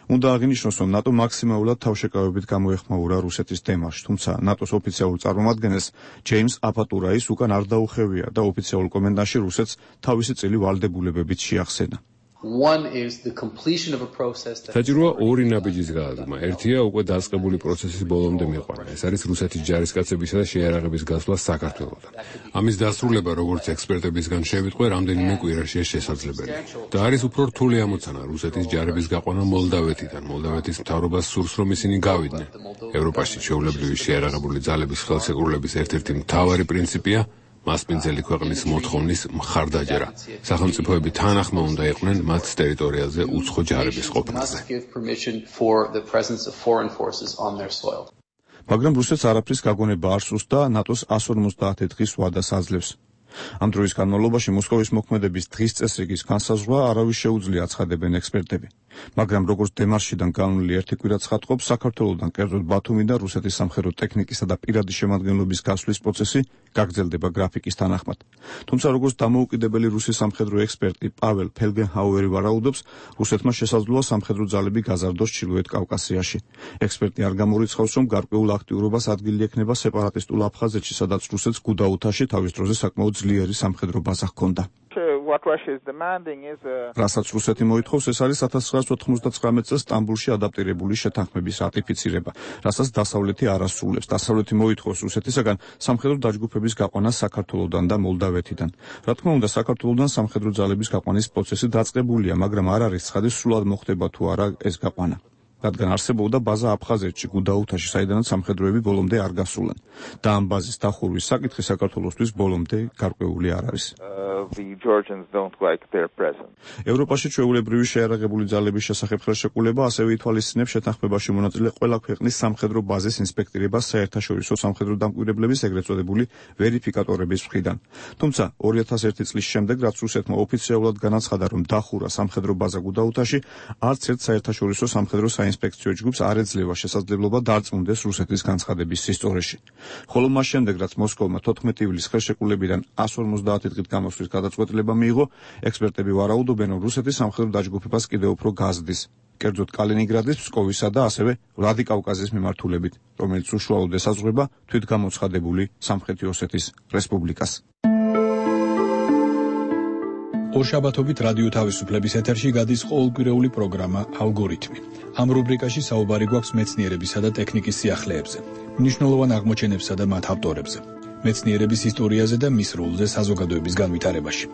უნდა აღინიშნოს, რომ ნატო მაქსიმალურად თავშეკავებით გამოეხმაურა რუსეთის დემარშს, თუმცა ნატოს ოფიციალურ წარმომადგენელს ჯეიმს აპატურაის უკან არ დაუხევია და ოფიციალურ კომენტარში რუსეთს თავისი წილი ვალდებულებებით შეახსენა. საჭიროა ორი ნაბიჯის გადადგმა. ერთია უკვე დაწყებული პროცესის ბოლომდე მიყვანა. ეს არის რუსეთის ჯარისკაცებისა და შეიარაღების გასვლა საქართველოსთან. ამის დასრულება, როგორც ექსპერტებისგან შევიტყვე, რამდენიმე კვირაშია შესაძლებელი. და არის უფრო რთული ამოცანა რუსეთის ჯარების გაყვანა მოლდავეთიდან. მოლდავეთის მთავრობას სურს, რომ ისინი გავიდნენ. ევროპაში ჩვეულებრივი შეიარაღებული ძალების ხელშეკრულების ერთ-ერთი მთავარი პრინციპია მასპინძელი ქვეყნის მოთხოვნის მხარდაჭერა. სახელმწიფოები თანახმა უნდა იყვნენ მათ ტერიტორიაზე უცხო ჯარების ყოფნაზე. მაგრამ რუსეთს არაფრის გაგონება არ სურს და ნატოს εκατს ორმოცდაათი დღის ვადას აძლევს. ამ დროის განმავლობაში მოსკოვის მოქმედების დღის წესრიგის განსაზღვრა არავის შეუძლია აცხადებენ ექსპერტები. მაგრამ როგორც დემარშიდან განვლილი ერთი კვირა ცხადყოფს, საქართველოსთან კერძოდ ბათუმიდან რუსეთის სამხედრო ტექნიკისა და პირადი შემადგენლობის გასვლის პროცესი გაგრძელდება გრაფიკის თანახმად. თუმცა როგორც დამოუკიდებელი რუსი სამხედრო ექსპერტი პაվել ფელგენჰაუერი ვარაუდობს, რუსეთმა შესაძლოა სამხედრო ძალები გაზარდოს ჩრდილოეთ კავკასიაში. ექსპერტი არ გამორიცხავს, რომ გარკვეულ აქტიურობას ადგილი ექნება სეპარატისტულ აფხაზეთში, სადაც რუსეთს გუდაუთაში თავის დროზე საკმაოდ ძლიერი სამხედრო ბაზა ჰქონდა. რასაც რუსეთი მოითხოვს, ეს არის ათას ცხრაას ოთხმოცდაცხრამეტ წელს სტამბულში ადაპტირებული შეთანხმების რატიფიცირება, რასაც დასავლეთი არ ასრულებს. დასავლეთი მოითხოვს რუსეთისაგან სამხედრო დაჯგუფების გაყვანას საქართველოსთან და მოლდავეთიდან. რა თქმა უნდა, საქართველოსთან სამხედრო ძალების გაყვანის პროცესი დაწყებულია, მაგრამ არ არის ცხადი სრულად მოხდება თუ არა ეს გაყვანა. რადგან არსებობდა ბაზა აფხაზეთში, გუდაუთაში, საიდანაც სამხედროები ბოლომდე არ გასულან. და ამ ბაზის დახურვის საკითხი საქართველოსთვის ბოლომდე გარკვეული არ არის. ევროპაში ჩვეულებრივი შეიარაღებული ძალების შესახებ ხელშეკრულება ასევე ითვალისწინებს შეთანხმებაში მონაწილე ყველა ქვეყნის სამხედრო ბაზის ინსპექტირებას საერთაშორისო სამხედრო დამკვირვებლების ეგრეთ წოდებული ვერიფიკატორების მხრიდან. თუმცა ორი ათას ერთი წლის შემდეგ, რაც რუსეთმა ოფიციალურად განაცხადა, რომ დახურა სამხედრო ბაზა გუდაუთაში, არც ერთ საერთაშორისო სამხედრო საინსპექციო ჯგუფს არ ეძლევა შესაძლებლობა დარწმუნდეს რუსეთის განცხადების სისწორეში. ხოლო მას შემდეგ, რაც მოსკოვმა თოთხმეტ ივლისს ხელშეკრულებიდან εκατს ორმოცდაათი დღით გამოსვლის გადაწყვეტილება მიიღო, ექსპერტები ვარაუდობენ, რომ რუსეთის სამხედრო დაჯგუფებას კიდევ უფრო გაზრდის, კერძოდ კალინინგრადის, ფსკოვისა და ასევე ვლადიკავკაზის მიმართულებით, რომელიც უშუალოდ ესაზღვრება თვითგამოცხადებული სამხრეთი ოსეთის რესპუბლიკას. ორშაბათობით რადიო თავისუფლების ეთერში გადის ყოველკვირეული პროგრამა ალგორითმი. ამ რუბრიკაში საუბარი გვაქვს მეცნიერებისა და ტექნიკის სიახლეებზე, მნიშვნელოვან აღმოჩენებსა და მათ ავტორებზე, მეცნიერების ისტორიაზე და მის როლზე საზოგადოების განვითარებაში.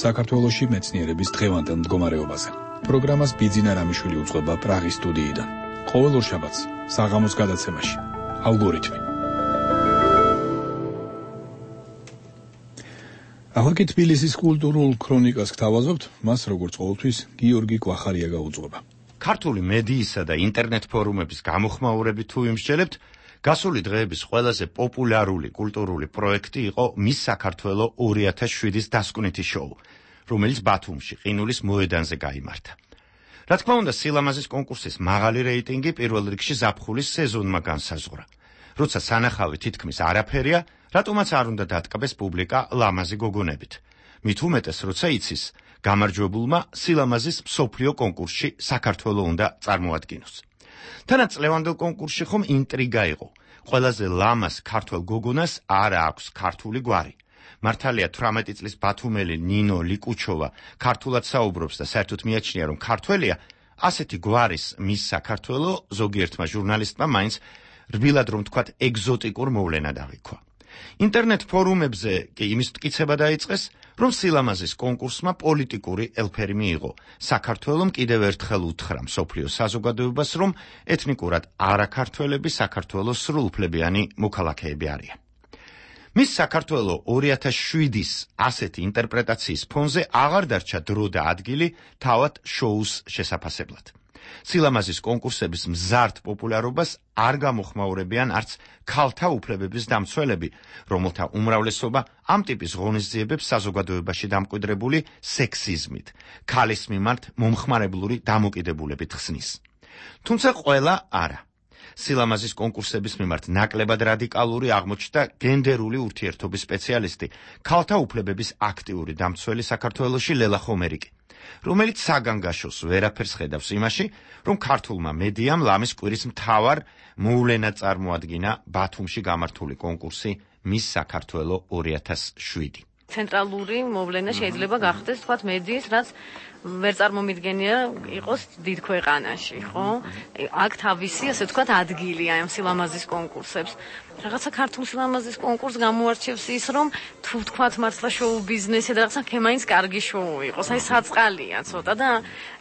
საქართველოში მეცნიერების დღევანდელ მდგომარეობაზე. პროგრამას ბიძინა რამიშვილი უძღვება პრაღის სტუდიიდან. ყოველ ორშაბათს საღამოს გადაცემაში ალგორითმი. ახლა თბილისის კულტურულ ქრონიკას გთავაზობთ, მას როგორც ყოველთვის გიორგი კვახარია გაუძღვება. ქართული მედიისა და ინტერნეტ ფორუმების გამოხმაურებით თუ იმსჯელებთ, გასული დღეების ყველაზე პოპულარული კულტურული პროექტი იყო მის საქართველო ორი ათას შვიდის დასკვნითი შოუ, რომელიც ბათუმში ყინულის მოედანზე გაიმართა. რა თქმა უნდა, სილამაზის კონკურსის მაღალი რეიტინგი პირველ რიგში ზაფხულის სეზონმა განსაზღვრა. როცა სანახავი თითქმის არაფერია, რატომაც არ უნდა დატკბეს პუბლიკა ლამაზი გოგონებით. მით უმეტეს, როცა იცის, გამარჯვებულმა სილამაზის მსოფლიო კონკურსში საქართველო უნდა წარმოადგინოს. თანაც წლევანდელ კონკურსში ხომ ინტრიგა იყო. ყველაზე ლამაზ ქართველ გოგონას არ აქვს ქართული გვარი. მართალია თვრამეტი წლის ბათუმელი ნინო ლიკუჩოვა ქართულად საუბრობს და საერთოდ მიაჩნია, რომ ქართველია, ასეთი გვარის მის საქართველო ზოგიერთმა ჟურნალისტმა მაინც რბილად რომ თქვათ ეგზოტიკურ მოვლენად აღიქვა. ინტერნეტ ფორუმებზე კი იმის მტკიცება დაიწყეს, რომ სილამაზის კონკურსმა პოლიტიკური ელფერი მიიღო. საქართველომ კიდევ ერთხელ უთხრა მსოფლიო საზოგადოებას, რომ ეთნიკურად არაქართველები საქართველოს სრულუფლებიანი მოქალაქეები არიან. მის საქართველო ორი ათას შვიდის ასეთი ინტერპრეტაციის ფონზე აღარ დარჩა დრო და ადგილი თავად შოუს შესაფასებლად. სილამაზის კონკურსების მზარდ პოპულარობას არ გამოხმაურებიან არც ქალთა უფლებების დამცველები, რომელთა უმრავლესობა ამ ტიპის ღონისძიებებს საზოგადოებაში დამკვიდრებული სექსიზმით, ქალის მიმართ მომხმარებლური დამოკიდებულებით ხსნის. თუმცა ყველა არა. სილამაზის კონკურსების მიმართ ნაკლებად რადიკალური აღმოჩნდა გენდერული ურთიერთობის სპეციალისტი, ქალთა უფლებების აქტიური დამცველი საქართველოში ლელა ხომერიკი, რომელიც საგანგაშოს ვერაფერს ხედავს იმაში, რომ ქართულმა მედიამ ლამის კვირის მთავარ მოვლენად წარმოადგინა ბათუმში გამართული კონკურსი მის საქართველო ორი ათას შვიდი. ცენტრალური მოვლენა შეიძლება გახდეს, თქვათ, მედიის, რაც ვერ წარმომიდგენია იყოს დიდ ქვეყანაში, ხო? აქ თავისი, ასე ვთქვათ, ადგილი ამ სილამაზის კონკურსებს. რაღაცა ქართულ სილამაზის კონკურსს გამოარჩევს ის, რომ თუ ვთქვათ, მართლა შოუ ბიზნესი და რაღაცა ქემაინც კარგი შოუ იყოს, აი საწყალია ცოტა და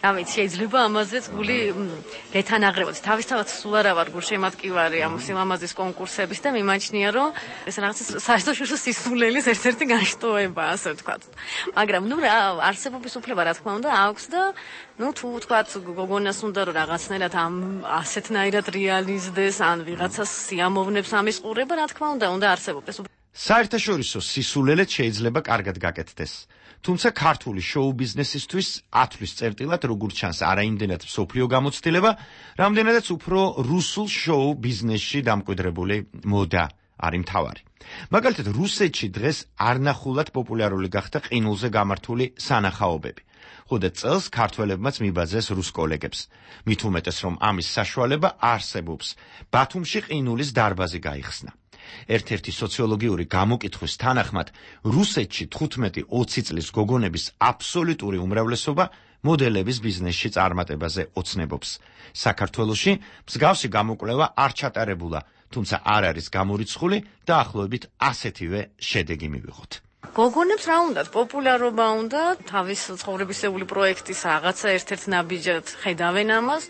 რა ვიცი, შეიძლება ამაზეც გული გეთანაღრებოდეს. თავისთავად სულ არა ვარ გულშემატკივარი ამ სილამაზის კონკურსების და მიმაჩნია, რომ ეს რაღაცა საერთაშორისო სისულელის ერთ-ერთი განშტოებაა, ასე ვთქვათ. მაგრამ ნუ რა, არსებობის უფლება რა თქმა უნდა აქვს და ნუ თუ ვთქვათ, გოგონას უნდა რომ რაღაცნაირად ამ ასეთნაირად რეალიზდეს ან ვიღაცას სიამოვნებს ამის ყურება, რა თქმა უნდა, უნდა არსებობდეს. საერთაშორისო სისულელეც შეიძლება კარგად გაკეთდეს. თუმცა ქართული შოუ ბიზნესისთვის ათვლის წერტილად, როგორც ჩანს, არა იმდენად მსოფლიო გამოცდილება, რამდენადაც უფრო რუსულ შოუ ბიზნესში დამკვიდრებული მოდა არის მთავარი. მაგალითად, რუსეთში დღეს არნახულად პოპულარული გახდა ყინულზე გამართული სანახაობები. ხოდა წელს ქართველებმაც მიბაძეს რუს კოლეგებს. მით უმეტეს, რომ ამის საშუალება არსებობს. ბათუმში ყინულის დარბაზი გაიხსნა. ერთ-ერთი სოციოლოგიური გამოკითხვის თანახმად, რუსეთში თხუთმეტი ოცი წლის გოგონების აბსოლუტური უმრავლესობა მოდელების ბიზნესში წარმატებაზე ოცნებობს. საქართველოში მსგავსი გამოკვლევა არ ჩატარებულა, თუმცა არ არის გამორიცხული და ახლობებით ასეთივე შედეგი მივიღოთ. გოგონებს რა უნდათ? პოპულარობა უნდა, თავის ცხოვრებისეული პროექტის რაღაცა ერთ-ერთ ნაბიჯად ხედავენ ამას.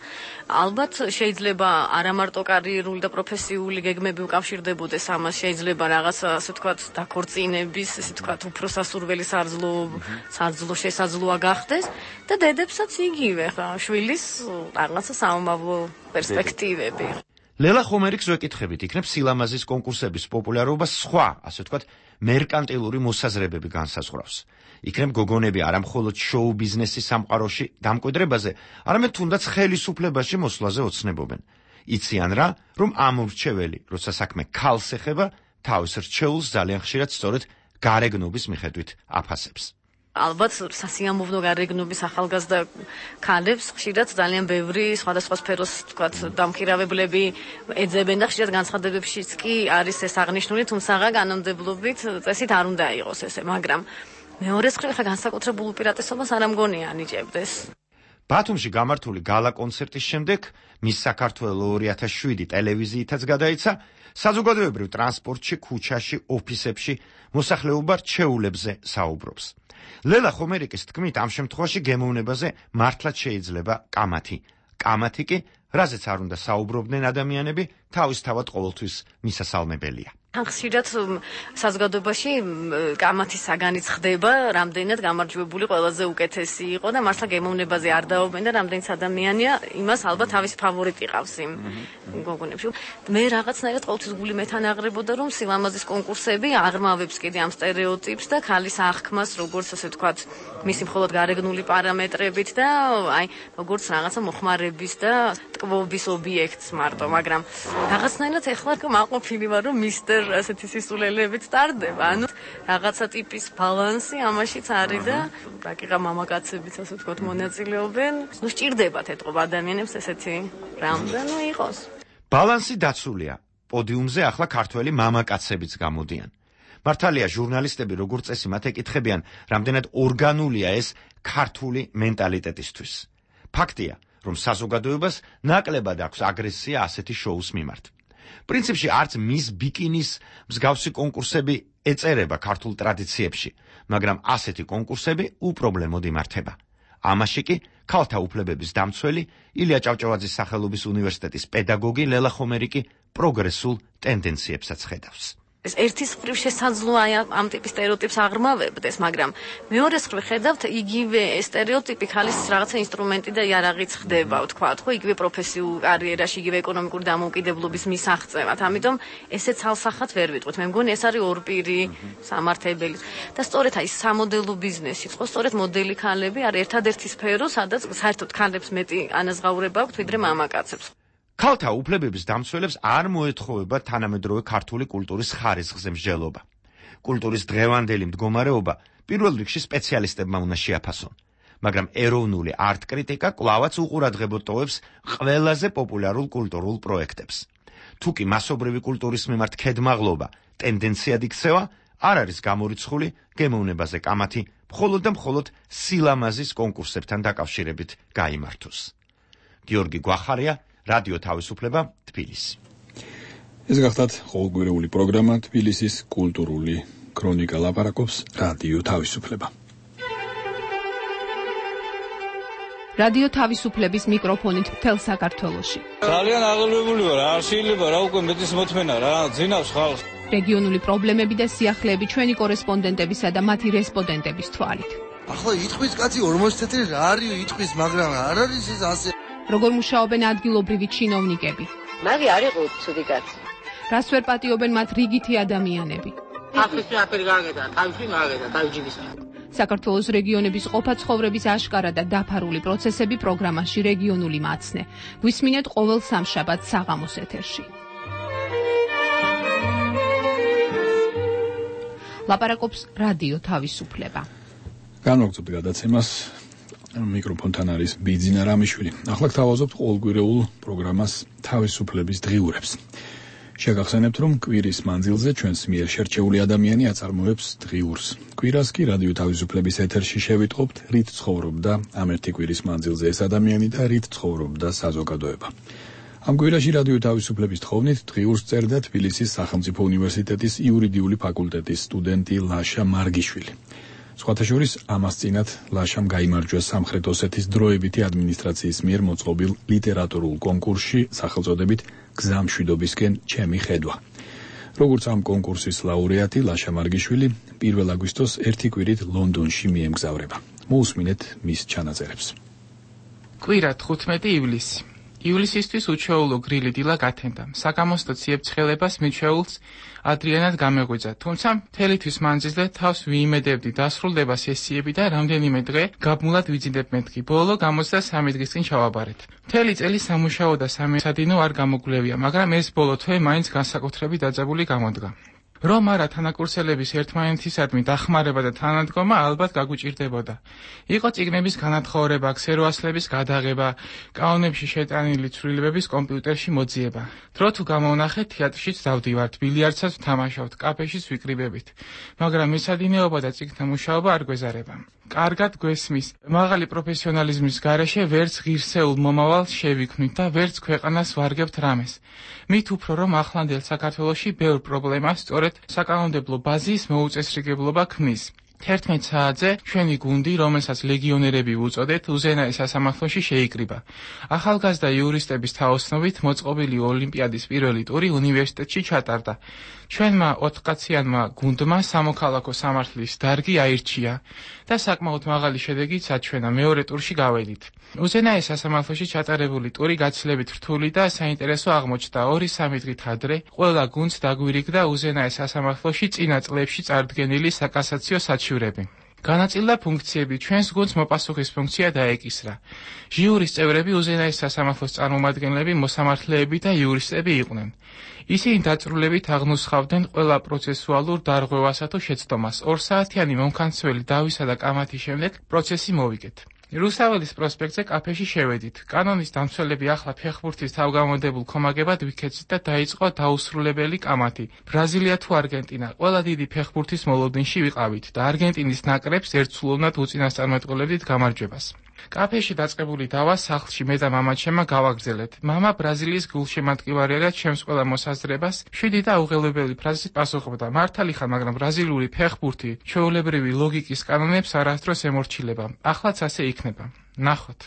ალბათ შეიძლება არა მარტო კარიერული და პროფესიული გეგმები უკავშირდებოდეს ამას, შეიძლება რაღაცა, ასე ვთქვათ, დაქორწინების, ასე ვთქვათ, უფრო სასურველი სარძლო, სარძლო შესაძლოა გახდეს და დედებსაც იგივე, ხა, შვილის რაღაცა საომავლო პერსპექტივები. ლელა ხომერიკს ვეკითხებით, იქნებ სილამაზის კონკურსების პოპულარობა სხვა, ასე ვთქვათ, მერკანტილური მოსაზრებები განსაზღვრავს. იქნებ გოგონები არა მხოლოდ შოუ ბიზნესის სამყაროში დამკვიდრებაზე, არამედ თუნდაც ხელისუფლებაში მოსვლაზე ოცნებობენ. იციან რა, რომ ამ ურჩეველი, როცა საქმე ქალს ეხება, თავის რჩეულს ძალიან ხშირად სწორედ გარეგნობის მიხედვით აფასებს. ალბათ სასიამოვნო გარეგნობის ახალგაზრდა ქალებს ხშირად ძალიან ბევრი სხვადასხვა სფეროს, თქვათ, დამქირავებლები ეძებენ და ხშირად განცხადებებშიც კი არის ეს აღნიშნული, თუმცა კანონმდებლობით წესით არ უნდა იყოს ესე, მაგრამ მეორეს მხრივ ხა განსაკუთრებულ უპირატესობას არ ამგონია ანიჭებდეს. ბათუმში გამართული გალა კონცერტის შემდეგ მის საქართველოს ორი ათას შვიდი ტელევიზიითაც გადაიცა საზოგადოებრივ ტრანსპორტში, ქუჩაში, ოფისებში მოსახლეობა რჩეულებზე საუბრობს. ლელა ხომერიკის თქმით, ამ შემთხვევაში გემოვნებაზე მართლაც შეიძლება კამათი. კამათი კი, რაზეც არ უნდა საუბრობდნენ ადამიანები, თავისთავად ყოველთვის მისასალმებელია. ხშირად საზოგადოებაში კამათის საგანიც ხდება, რამდენად გამარჯვებული ყველაზე უკეთესი იყო და მართლა გემოვნებაზე არ დაობენ და რამდენიც ადამიანია იმას ალბათ თავისი ფავორიტი ყავს იმ გოგონებში. მე რაღაცნაირად ყოველთვის გული მეთანაღრებოდა, რომ სილამაზის კონკურსები აღრმავებს კიდე ამ სტერეოტიპს და ქალის აღქმას, როგორც ასე ვთქვათ, მისი მხოლოდ გარეგნული პარამეტრებით და აი როგორც რაღაცა მოხმარების და ტკბობის ობიექტს მარტო, მაგრამ რაღაცნაირად ეხლა მაყოფილი ვარ, რომ მისტერ ასეთი სისულელებით სტარდება. ანუ რაღაცა ტიპის ბალანსი ამაშიც არის და რაკიღა მამაკაცებიც ასე ვთქვათ მონაწილეობენ. ნუ სჭირდებათ ეთყობა ადამიანებს ესეთი რამ და ნუ იყოს. ბალანსი დაცულია. პოდიუმზე ახლა ქართველი მამაკაცებიც გამოდიან. მართალია ჟურნალისტები როგორც წესი მათ ეკითხებიან, რამდენად ორგანულია ეს ქართული მენტალიტეტისთვის. ფაქტია, რომ საზოგადოებას ნაკლებად აქვს აგრესია ასეთი შოუს მიმართ. პრინციპში არც მის ბიკინის მსგავსი კონკურსები ეწერება ქართულ ტრადიციებში, მაგრამ ასეთი კონკურსები უპრობლემოდ იმართება. ამაში კი ქალთა უფლებების დამცველი ილია ჭავჭავაძის სახელობის უნივერსიტეტის პედაგოგი ლელა ხომერიკი პროგრესულ ტენდენციებსაც ხედავს. ეს ერთის მხრივ შესაძლოა ამ ტიპის სტერეოტიპს აღრმავებდეს, მაგრამ მეორეს მხრივ ხედავთ იგივე სტერეოტიპი ქალის რაღაცა ინსტრუმენტი და იარაღიც ხდება, ვთქვათ, ხო, იგივე პროფესიულ კარიერაში, იგივე ეკონომიკური დამოუკიდებლობის მისაღწევად. ამიტომ ესე ცალსახად ვერ ვიტყვით. მე მგონი ეს არის ორპირი სამართებელი. და სწორედ აი სამოდელო ბიზნესი, ხო, სწორედ მოდელი ქალები არის ერთადერთი სფერო, სადაც საერთოდ ქალებს მეტი ანაზღაურება აქვთ ვიდრე მამაკაცებს. ქალთა უფლებების დამცველებს არ მოეთხოვება თანამედროვე ქართული კულტურის ხარისხზე მსჯელობა. კულტურის დღევანდელი მდგომარეობა პირველ რიგში სპეციალისტებმა უნდა შეაფასონ, მაგრამ ეროვნული არტ-კრიტიკა კვლავაც უყურადღებოდ ტოვებს ყველაზე პოპულარულ კულტურულ პროექტებს. თუ კი მასობრივი კულტურის მიმართ ქედმაღლობა ტენდენციად იქცევა, არ არის გამორიცხული გემოვნებაზე კამათი მხოლოდ და მხოლოდ სილამაზის კონკურსებთან დაკავშირებით გაიმართოს. გიორგი გვახარია, რადიო თავისუფლება, თბილისი. ეს გახლავთ ყოველკვირეული პროგრამა თბილისის კულტურული ქრონიკა ლაპარაკობს რადიო თავისუფლება. რადიო თავისუფლების მიკროფონით მთელ საქართველოში. ძალიან აღელვებული ვარ, არ შეიძლება რა უკვე მეტის მოთმენა რა, ძინავს ხალხს. რეგიონული პრობლემები და სიახლეები ჩვენი კორესპონდენტებისა და მათი რესპონდენტების თვალით. ახლა იტყვის კაცი ორმოცი თეთრი რა არის იტყვის, მაგრამ არ არის ეს ასე. როგორ მუშაობენ ადგილობრივი ჩინოვნიკები? მაგი არ იყო ცუდი კაცი. რას ვერ პატიობენ მათ რიგითი ადამიანები? ახლისაფერი გაგედა, თავში მაგედა, თავჯიბის. საქართველოს რეგიონების ყოფა-ცხოვრების აშკარა და დაფარული პროცესები პროგრამაში რეგიონული მაცნე. გვისმინეთ ყოველ სამშაბათს საღამოს ეთერში. ლაპარაკობს რადიო თავისუფლება. განვაგრძობთ გადაცემას. მიკროფონთან არის ბიძინა რამიშვილი. ახლა გთავაზობთ ყოველკვირეულ პროგრამას თავისუფლების დღიურებს. შეგახსენებთ, რომ კვირის მანძილზე ჩვენს მიერ შერჩეული ადამიანი აწარმოებს დღიურს. კვირას კი რადიო თავისუფლების ეთერში შევიტყობთ, რით ცხოვრობდა ამ ერთი კვირის მანძილზე ეს ადამიანი და რით ცხოვრობდა საზოგადოება. ამ კვირაში რადიო თავისუფლების თხოვნით დღიურს წერდა თბილისის სახელმწიფო უნივერსიტეტის იურიდიული ფაკულტეტის სტუდენტი ლაშა მარგიშვილი. სხვათა შორის ამას წინათ ლაშამ გაიმარჯვა სამხრეთ ოსეთის დროებითი ადმინისტრაციის მიერ მოწყობილ ლიტერატურულ კონკურსში სახელწოდებით გზა მშვიდობისკენ ჩემი ხედვა. როგორც ამ კონკურსის ლაურეატი ლაშა მარგიშვილი პირველ აგვისტოს ერთი კვირით ლონდონში მიემგზავრება. მოусმინეთ მის ჩანაწერებს. კვირა თხუთმეტი ივლისი. ივლისისთვის უჩვეულო გრილი დილა გათენდა. საგამოსტო ციებ-ცხელებას მიჩვეულს ადრიანად გამეღვიძა. თუმცა მთელი თვის მანძილზე თავს ვიიმედებდი დასრულდება სესიები და რამდენიმე დღე გაბმულად ვიძინებ მეთქი. ბოლო გამოცდა-სამი დღის წინ ჩავაბარეთ. მთელი წელი სამუშაო და სამეცადინო არ გამოგვლევია, მაგრამ ეს ბოლო თვე მაინც განსაკუთრებით დაძაბული გამოდგა. რომ არა თანაკურსელების ერთმანეთისადმი დახმარება და თანადგომა ალბათ გაგვიჭირდებოდა. იყო წიგნების განათხოვრება, ქსეროასლების გადაღება, კანონებში შეტანილი ცვლილებების კომპიუტერში მოძიება. დრო თუ გამოვნახეთ, თეატრშიც დავდივართ, ბილიარდსაც ვთამაშავთ, კაფეშიც ვიკრიბებით, მაგრამ მისადინეობა და წიგნთა მუშაობა არ გვეზარება. კარგად გვესმის, მაღალი პროფესიონალიზმის გარეშე ვერც ღირსეულ მომავალს შევიქმნით და ვერც ქვეყანას ვარგებთ რამეს. მით უფრო რომ ახლანდელ საქართველოში ბევრ პრობლემას სწორედ საკანონმდებლო ბაზის მოუწესრიგებლობა ქმნის. თერთმეტ საათზე ჩვენი გუნდი, რომელსაც ლეგიონერები ვუწოდეთ, უზენაეს სასამართლოში შეიკრიბა. ახალგაზრდა იურისტების თაოსნობით მოწყობილი ოლიმპიადის პირველი ტური უნივერსიტეტში ჩატარდა. ჩვენმა ოთხკაციანმა გუნდმა სამოქალაქო სამართლის დარგი აირჩია და საკმაოდ მაღალი შედეგით საჩვენა, მეორე ტურში გავედით. უზენაეს სასამართლოში ჩატარებული ტური გაცილებით რთული და საინტერესო აღმოჩნდა. ორი-სამი დღით ადრე ყველა გუნდს დაგვირიგდა უზენაეს სასამართლოში წინა წლებში წარდგენილი საკასაციო საჩივრები. განაწილდა ფუნქციები, ჩვენს გუნდს მოპასუხის ფუნქცია დაეკისრა. ჟიურის წევრები უზენაეს სასამართლოს წარმომადგენლები, მოსამართლეები და იურისტები იყვნენ. ისინი დაწვრილებით აღნუსხავდნენ ყველა პროცესუალურ დარღვევასა თუ შეცდომას. ორსაათიანი მომქანცველი დავისა და კამათის შემდეგ პროცესი მოვიგეთ. რუსაველის პროსპექტზე კაფეში შევედით. კანონის დამცველები ახლა ფეხბურთის თავგამონდებულ კომაგებად ვიქეცით და დაიწყო დაუსრულებელი კამათი. ბრაზილია თუ არგენტინა, ყველა დიდი ფეხბურთის მოლოდინში ვიყავით და არგენტინის ნაკრებს ერთსულოვნად უწინასწარმეტყველებდით გამარჯვებას. კაფეში დაწყებული დავა სახლში მე და მამაჩემმა გავაგრძელეთ. მამა ბრაზილიის გულშემატკივარია ჩემს ყველა მოსაზრებას შვიდი და უღელვებელი ფრაზით პასუხობდა. მართალი ხარ, მაგრამ ბრაზილიური ფეხბურთი ჩვეულებრივი ლოგიკის კანონებს არასდროს ემორჩილება. ახლაც ასე იქნება. ნახოთ.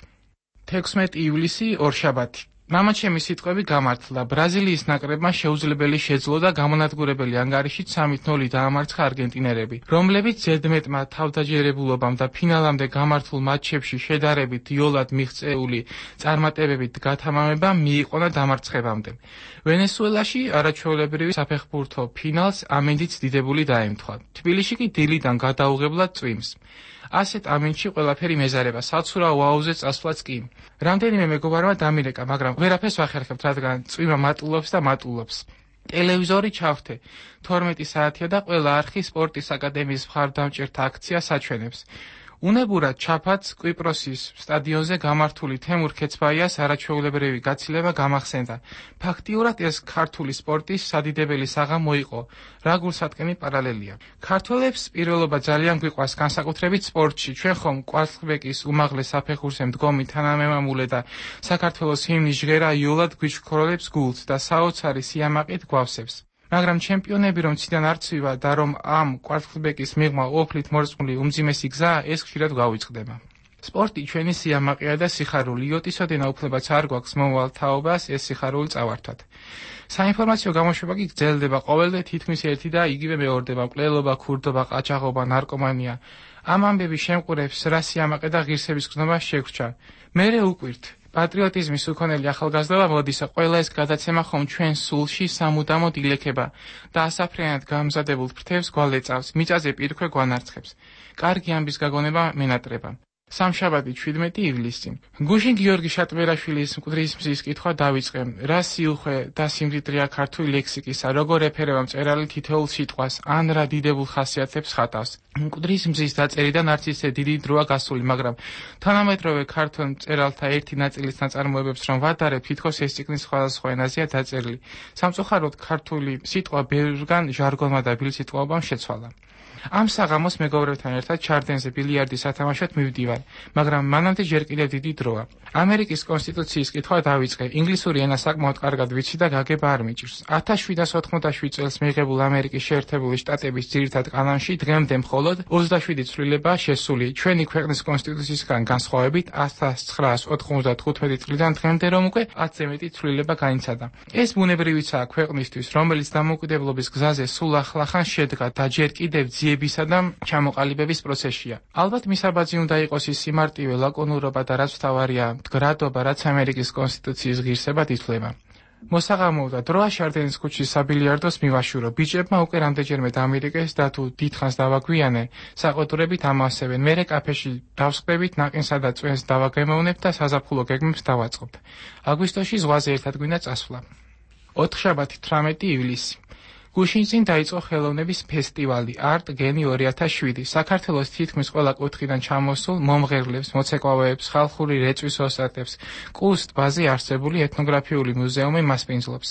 თექვსმეტი ივლისი, ორშაბათი. მამაჩემის სიტყვები გამართლა. ბრაზილიის ნაკრებმა შეუძლებელი შეძლო და გამონადგურებელი ანგარიშით სამით ნული დაამარცხა არგენტინელები, რომლებიც ზედმეტმა თავდაჯერებულობამ და ფინალამდე გამართულ მატჩებში შედარებით იოლად მიღწეული წარმატებებით გათამამება მიიყონა დამარცხებამდე. ვენესუელაში არაჩვეულებრივი საფეხბურთო ფინალს ამინდით დიდებული დაემთხვა. თბილისში კი დილიდან გადაუღებლად წვიმს. ასეთ ამინდში ყველაფერი მეზარება, საცურაო აუზე წასვლაც კი. რამდენიმე მეგობარმა დამირეკა, მაგრამ ვერაფერს ვახერხებთ, რადგან წვიმა მატულობს და მატულობს. ტელევიზორი ჩავთე. თორმეტი საათია და ყველა არხი სპორტის აკადემიის მხარდამჭერთა აქციას აჩვენებს. უნებურად ჩაფაც კვიპროსის სტადიონზე გამართული თემურ ქეცბაიას არაჩვეულებრივი გაცილება გამახსენდა. ფაქტიურად ეს ქართული სპორტის სადიდებელი საღამო იყო, რა გულსატკენი პარალელია. ქართველებს პირველობა ძალიან გვიყვარს განსაკუთრებით სპორტში. ჩვენ ხომ კვარცხლბეკის უმაღლეს საფეხურზე მდგომი თანამემამულე და საქართველოს ჰიმნის ჟღერა იოლად გვიჩქოროლებს გულს და საოცარი სიამაყით გვავსებს. მაგრამ ჩემპიონები რომ ციდან არ ცვივა და რომ ამ კვარცხლბეკის მიღმა ოფლით მორწმული უმძიმესი გზაა, ეს ხშირად გავიწყდება. სპორტი ჩვენი სიამაყეა და სიხარული. იოტისოდენა უფლებაც არ გვაქვს მომავალ თაობას ეს სიხარული წავართვათ. საინფორმაციო გამოშვება კი გრძელდება ყოველდღე თითქმის ერთი და იგივე მეორდება. მკვლელობა, ქურდობა, ყაჩაღობა, ნარკომანია. ამ ამბების შემყურებს რა სიამაყე და ღირსების გზნობა შეგვრჩა. მერე უკვირთ. პატრიოტიზმის უქონელი ახალგაზრდობა მოდისა, ყველა ეს გადაცემა ხომ ჩვენ სულში სამუდამოდ ილექება და ასაფრენად გამზადებულ ფრთებს გვალეწავს, მიწაზე პირქვე გვანარცხებს. კარგი ამბის გაგონება მენატრება. სამშაბათი, შვიდმეტი ივლისი. გუშინ გიორგი შატბერაშვილის მკვდრის მზის კითხვა დავიწყე. რა სიუხვე და სიმდიდრეა ქართული ლექსიკისა, როგორ ეფერება მწერალი თითოეულ სიტყვას, ან რა დიდებულ ხასიათებს ხატავს. მკვდრის მზის დაწერიდან არც ისე დიდი დროა გასული, მაგრამ თანამედროვე ქართულ მწერალთა ერთი ნაწილის ნაწარმოებებს რომ ვადარებ, თითქოს ეს წიგნის სხვადასხვა ენაზეა დაწერილი. სამწუხაროდ ქართული სიტყვა ბევრგან ჟარგონმა და ბილსიტყვაობამ შეცვალა. ამ საღამოს მეგობრებთან ერთად ჩარდენზე ბილიარდის სათამაშოდ მივდივარ, მაგრამ მანამდე ჯერ კიდევ დიდი დროა. ამერიკის კონსტიტუციის კითხვა დავიწყე. ინგლისური ენა საკმაოდ კარგად ვიცი და გაგება არ მიჭირს. ათას შვიდას ოთხმოცდაშვიდ წელს მიღებულ ამერიკის შეერთებული შტატების ძირითად კანონში დღემდე მხოლოდ ოცდაშვიდი ცვლილება შესული. ჩვენი ქვეყნის კონსტიტუციისგან განსხვავებით ათას ცხრაას ოთხმოცდათხუთმეტი წლიდან დღემდე რომ უკვე ათზე მეტი ცვლილება გაიცადა. ეს ბუნებრივიცაა ქვეყნისთვის, რომელიც დამოუკიდებლობის გზაზე სულ ახლახან შედგა და ჯერ კიდევ ძიებისა და ჩამოყალიბების პროცესია. ალბათ მისაბაძი უნდა იყოს ის სიმარტივე, ლაკონურობა და რაც თავარია მდგრადობა, რაც ამერიკის კონსტიტუციის ღირსებად ითვლება. მოსაღამოო და დროა შარდენის ქუჩის საბილიარდოს მივაშურო. ბიჭებმა უკვე რამდენჯერმე დამირეკეს და თუ დიდხანს დავაგვიანე, საყოდურებით ამასებენ. მერე კაფეში დავსყრებით, ნაყინსა და წვენს დავაგემოვნებთ და საზაფხულო გეგმებს დავაწყობთ. აგვისტოში ზღვაზე ერთად გვინდა წასვლა. ოთხშაბათი, თვრამეტი ივლისი. გუშინწინ დაიწყო ხელოვნების ფესტივალი Art Geni ორი ათას შვიდი. საქართველოს თითქმის ყველა კუთხიდან ჩამოსულ მომღერლებს, მოცეკვავეებს, ხალხური რეწვის ოსტატებს, კუს ტბაზე არსებული ეთნოგრაფიული მუზეუმი მასპინძლობს.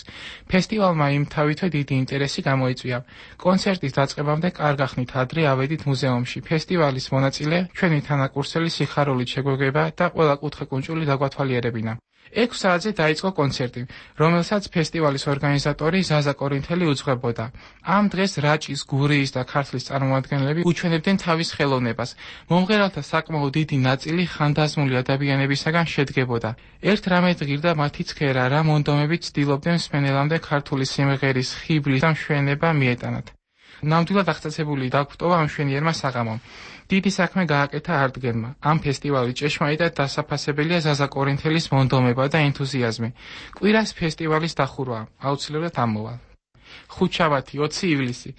ფესტივალმა იმთავითვე დიდი ინტერესი გამოიწვია. კონცერტის დაწყებამდე კარგახნით ადრე ავედით მუზეუმში. ფესტივალის მონაწილე ჩვენი თანაკურსელი სიხარულით შეგვეგება და ყველა კუთხე-კუნჭული დაგვათვალიერებინა. ექვს საათზე დაიწყო კონცერტი, რომელსაც ფესტივალის ორგანიზატორი ზაზა კორინთელი უძღვებოდა. ამ დღეს რაჭის, გურიის და ქართლის წარმომადგენლები უჩვენებდნენ თავის ხელოვნებას. მომღერალთა საკმაოდ დიდი ნაწილი ხანდაზმული ადამიანებისაგან შედგებოდა. ერთ რამედ ღირდა მათი ცქერა, რა მონდომებით ცდილობდნენ მსმენელამდე ქართული სიმღერის ხიბლის და მშვენება მიეტანათ. ნამდვილად აღწაცებული დაგვტოვა ამ მშვენიერმა საღამომ. დიდი საქმე გააკეთა არტგენმა. ამ ფესტივალის ჭეშმარიტად დასაფასებელია ზაზა კორინთელის მონდომება და ენთუზიაზმი. კვირას ფესტივალის დახურვა აუცილებლად ამოვალ. ხუთშაბათი, ოცი ივლისი.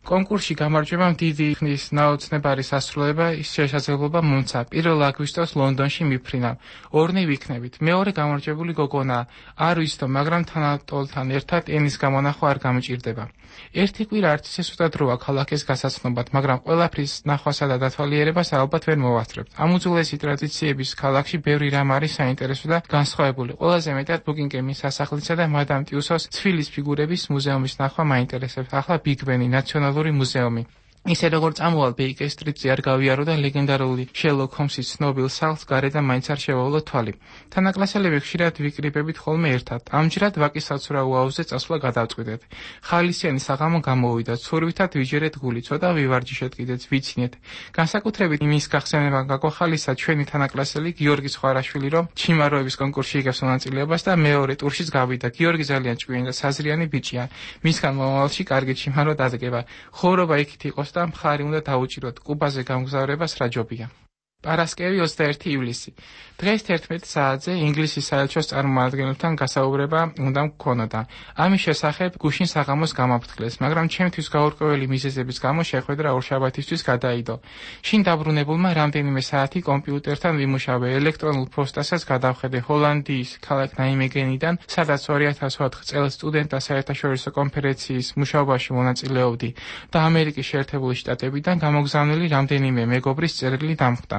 კონკურსში გამარჯვებამ დიდი ხნის ნაოცნებარი სასრულება შესაძლებლობა მომცა. პირველ აგვისტოს ლონდონში მიფრინა. ორნი ვიქნებით. მეორე გამარჯვებული გოგონა. არ ვიცდო, მაგრამ თანატოლთან ერთად ენის გამონახვა არ გამჭირდება. ერთი კვირა არც ისე სუსტად როა ქალაქის გასაცნობად, მაგრამ ყველაფრის ნახვასა და დათვალიერებას ალბათ ვერ მოვასწრებთ. ამ უძველესი ტრადიციების ქალაქში ბევრი რამ არის საინტერესო და განსხვავებული. ყველაზე მეტად ბუკინგემის სასახლისა და მადამ ტიუსოს ცვილის ფიგურების მუზეუმის ნახვა მაინტერესებს. ახლა ბიგ ბენი, ნაციონალური მუზეუმი. ისე როგორც ამოვალ ბეიკერ სტრიტზე არ გავიარო და ლეგენდარული შერლოკ ჰომსის ცნობილ სახლს გარედან მაინც არ შევავლო თვალი. თანაკლასელები ხშირად ვიკრიბებით ხოლმე ერთად. ამჯერად ვაკის საცურაო აუზზე წასვლა გადავწყვიტეთ. ხალისიანი საღამო გამოვიდა. ცურვითად ვიჯერეთ გული, ცოტა ვივარჯიშეთ კიდეც, ვიცინეთ. განსაკუთრებით იმის გახსენება გაგვახალისა ჩვენი თანაკლასელი გიორგი ხვარაშვილი, რომ ჩიმაროების კონკურსში იგებს მონაწილეობას და მეორე ტურშიც გავიდა. გიორგი ძალიან ჭკვიანი და საზრიანი ბიჭია. მისგან მომავალში კარგი ჩიმარო დადგება. ხოვრობა იქით იყოს და მხარი უნდა დაუჭიროთ. კუბაზე გამგზავრებას რა ჯობია. პარასკევი ოცდაერთი ივლისი. დღეს თერთმეტ საათზე ინგლისის საელჩოს წარმომადგენელთან გასაუბრება უნდა მქონოდა. ამის შესახებ გუშინ საღამოს გამაფრთხილეს, მაგრამ ჩემთვის გაურკვეველი მიზეზების გამო შეხვედრა ორშაბათისთვის გადაიდო. შინ დაბრუნებულმა რამდენიმე საათი კომპიუტერთან ვიმუშავე, ელექტრონულ ფოსტასაც გადავხედე ჰოლანდიის ქალაქ ნაიმეგენიდან, სადაც ორი ათას ოთხ წელს სტუდენტთა საერთაშორისო კონფერენციის მუშაობაში მონაწილეობდი და ამერიკის შეერთებული შტატებიდან გამოგზავნილი რამდენიმე მეგობრის წერილი დამხვდა.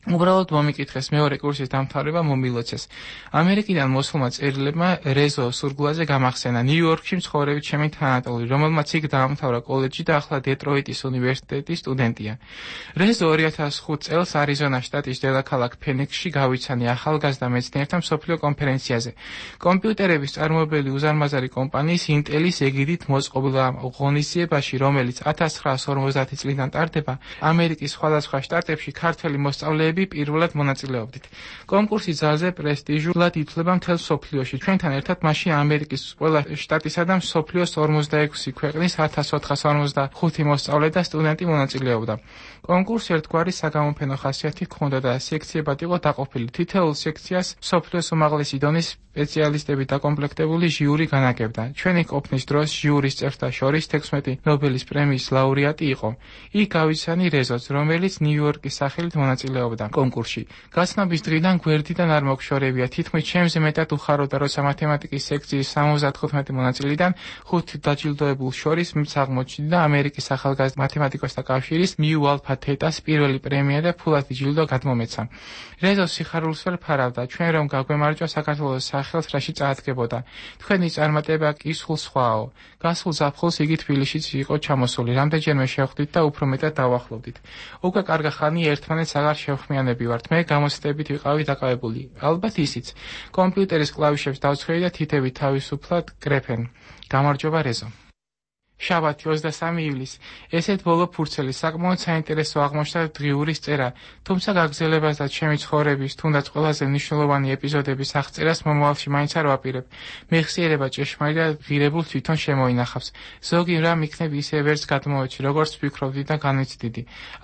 უბრალოდ მომიკითხეს მეორე კურსის დამთავრება მომილოცეს. ამერიკიდან მოსულმა წერილებმა რეზო სურგულაძე გამახსენა, ნიუ-იორკში მცხოვრები ჩემი თანატოლი, რომელმაც იქ დაამთავრა კოლეჯი და ახლა დეტროიტის უნივერსიტეტის სტუდენტია. რეზო ორი ათას ხუთ წელს არიზონა შტატის დედაქალაქ ფენიქსში გავიცანე ახალგაზრდა მეცნიერთა მსოფლიო კონფერენციაზე. კომპიუტერების წარმოებელი უზარმაზარი კომპანიის ინტელის ეგიდით მოწყობილ ღონისძიებაში, რომელიც ათას ცხრაასი ორმოცდაათი წლიდან ტარდება, ამერიკის სხვადასხვა შტატებში ქართველი მოსწავლეები პირველად მონაწილეობდით. კონკურსი ძალზე პრესტიჟულად ითვლება მთელ მსოფლიოში. ჩვენთან ერთად მასში ამერიკის ყველა შტატისა და მსოფლიოს ორმოცდაექვსი ქვეყნის ათას ოთხას ორმოცდახუთი მოსწავლე და სტუდენტი მონაწილეობდა. კონკურსი ერთგვარი საგამოფენო ხასიათი ჰქონდა და სექციებად იყო დაყოფილი. თითოეულ სექციას მსოფლიოს უმაღლესი დონის სპეციალისტები დაკომპლექტებული ჟიური განაგებდა. ჩვენი ყოფნის დროს ჟიურის წევრთა შორის თექვსმეტი ნობელის პრემიის ლაურეატი იყო. იქ გავიცანი რეზოც, რომელიც ნიუ-იორკის სახელით მონაწილეობდა კონკურსში. გაცნობის დღიდან გვერდიდან არ მოგშორებია, თითქმის ჩემზე მეტად უხაროდა, როცა მათემატიკის სექციის სამოცდათხუთმეტი მონაწილიდან ხუთი დაჯილდოებულ შორის მის აღმოჩნდა ამერიკის ახალგაზრდა მათემატიკოსთა კავშირის მიუ ალფა თეტას პირველი პრემია და ფულადი ჯილდო გადმომეცა. რეზო სიხარულს ვერ ფარავდა, ჩვენ რომ გაგვემარჯვა საქართველოს სახელს რაში წაადგებოდა. თქვენი წარმატება კი სულ სხვაო. გასულ ზაფხულს იგი თბილისშიც იყო ჩამოსული. რამდენჯერმე შევხვდით და უფრო მეტად დავახლოვდით. უკვე კარგა ხანი ერთმანეთს აღარ შევხმიანები ვართ. მე გამოცდებით ვიყავი დაკავებული. ალბათ ისიც. კომპიუტერის კლავიშებს დავცხრები და თითები თავისუფლად კრეფენ. გამარჯობა რეზო. შაბათი ოცდასამი ივლისი. ესეთ ბოლო ფურცელი საკმაოდ საინტერესო აღმოჩნდა დღიურის წერა, თუმცა გაგრძელებას და ჩემი ცხოვრების თუნდაც ყველაზე მნიშვნელოვანი ეპიზოდების აღწერას მომავალში მაინც არ ვაპირებ. მეხსიერება ჭეშმარიტ და ღირებულ თვითონ შემოინახავს. ზოგი რამ იქნებ ისე ვერც გადმოვეჩი, როგორც ვფიქრობდი და განვიცდიდი.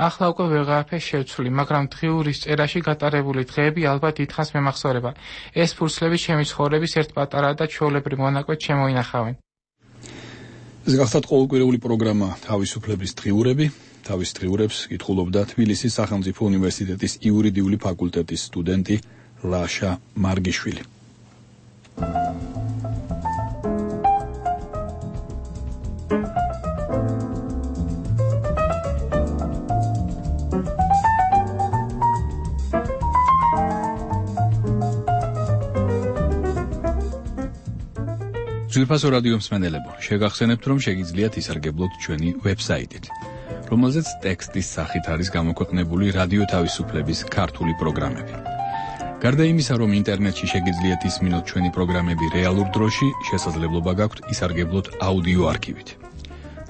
ახლა უკვე ვეღარაფერ შევცვლი, მაგრამ დღიურის წერაში გატარებული დღეები ალბათ დიდხანს მემახსოვრება. ეს ფურცლები ჩემი ცხოვრების ერთ პატარა და ჩვეულებრივ მონაკვეთს შემოინახავენ. ეს გახლავთ ყოველკვირეული პროგრამა თავისუფლების დღიურები. თავის დღიურებს კითხულობდა თბილისის სახელმწიფო უნივერსიტეტის იურიდიული ფაკულტეტის სტუდენტი ლაშა მარგიშვილი. ძვირფასო რადიო მსმენელებო, შეგახსენებთ, რომ შეგიძლიათ ისარგებლოთ ჩვენი ვებსაიტით, რომელზეც ტექსტის სახით არის გამოქვეყნებული რადიო თავისუფლების ქართული პროგრამები. გარდა იმისა, რომ ინტერნეტში შეგიძლიათ ისმინოთ ჩვენი პროგრამები რეალურ დროში, შესაძლებლობა გაქვთ ისარგებლოთ აუდიო არქივით.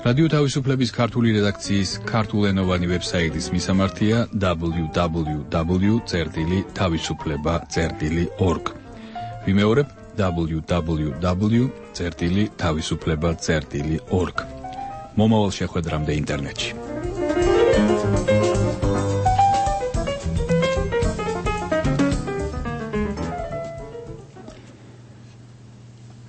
რადიო თავისუფლების ქართული რედაქციის ქართულენოვანი ვებსაიტის მისამართია double-u double-u double-u წერტილი თავისუფლება წერტილი org. ვიმეორებ double-u double-u double-u წერტილი თავისუფლება წერტილი org. მომავალ შეხვედრამდე ინტერნეტში.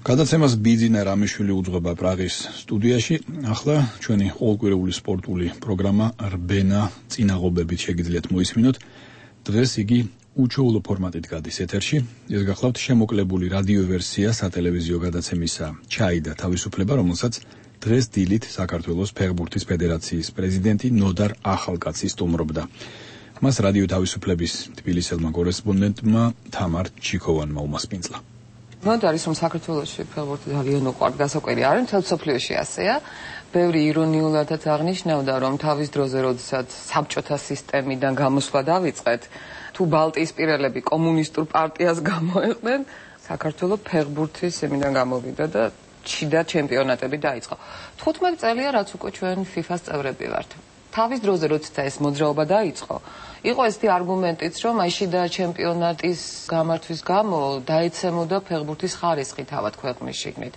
გადაცემას ბიძინა რამიშვილი უძღვება პრაღის სტუდიაში. ახლა ჩვენი ყოველკვირეული სპორტული პროგრამა რბენა წინაღობებით შეგიძლიათ მოისმინოთ. დღეს იგი უჩვეულო ფორმატით გადის ეთერში. ეს გახლავთ შემოკლებული რადიო ვერსია სატელევიზიო გადაცემისა ჩაი და თავისუფლება, რომელსაც დღეს დილით საქართველოს ფეხბურთის ფედერაციის პრეზიდენტი ნოდარ ახალკაცი სტუმრობდა. მას რადიო თავისუფლების თბილისელმა კორესპონდენტმა თამარ ჩიქოვანმა უმასპინძლა. ნოდარის რომ საქართველოში ფეხბურთი ძალიან უყვართ გასაკვირი არის, მთელ მსოფლიოში ასეა. ბევრი ირონიულადაც აღნიშნავდა, რომ თავის დროზე, როდესაც საბჭოთა სისტემიდან გამოსვლა დავიწყეთ, თუ ბალტიისპირელები კომუნისტურ პარტიას გამოეყვნენ, საქართველოს ფეხბურთის იმიდან გამოვიდა და შიდა ჩემპიონატები დაიწყო. თხუთმეტი წელია, რაც უკვე ჩვენ ფიფას წევრები ვართ. თავის დროზე, როცა ეს მოძრაობა დაიწყო, იყო ესეთი არგუმენტიც, რომ აი შიდა ჩემპიონატის გამართვის გამო დაეცემოდა ფეხბურთის ხარისხი თავად ქვეყნის შიგნით.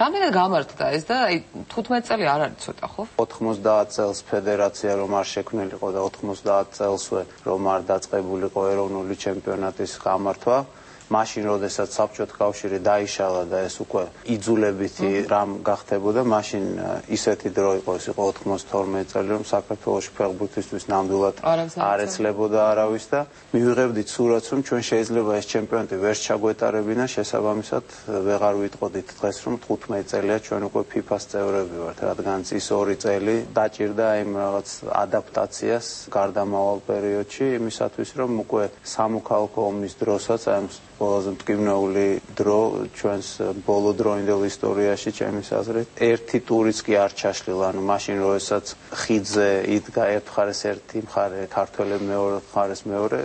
რამდენად გამართდა ეს და აი თხუთმეტი წელი არ არის ცოტა, ხო? ოთხმოცდაათ წელს ფედერაცია რომ არ შექმნილიყო და ოთხმოცდაათ წელსვე რომ არ დაწყებულიყო ეროვნული ჩემპიონატის გამართვა. მაშინ, როდესაც საბჭოთა კავშირი დაიშალა და ეს უკვე იძულებითი რამ გახდებოდა, მაშინ ისეთი დრო იყო, ეს იყო ოთხმოცდათორმეტი წელი, რომ საქართველოში ფეხბურთისთვის ნამდვილად არ ეცლებოდა არავის და მივიღებდით სურათს, რომ ჩვენ შეიძლება ეს ჩემპიონატი ვერ ჩაგვეტარებინა, შესაბამისად ვეღარ ვიტყოდით დღეს, რომ თხუთმეტი წელია ჩვენ უკვე ფიფას წევრები ვართ, რადგან ის ორი წელი დაჭირდა იმ რაღაც ადაპტაციას გარდამავალ პერიოდში, იმისათვის, რომ უკვე სამოქალაქო ომის დროსაც აი ყველაზე მტკივნეული დრო ჩვენს ბოლო დროინდელ ისტორიაში, ჩემის აზრით, ერთი ტურიც კი არ ჩაშლილა, ანუ მაშინ როდესაც ხიდზე იდგა ერთ მხარეს ერთი მხარე, ქართველები მეორე მხარეს მეორე,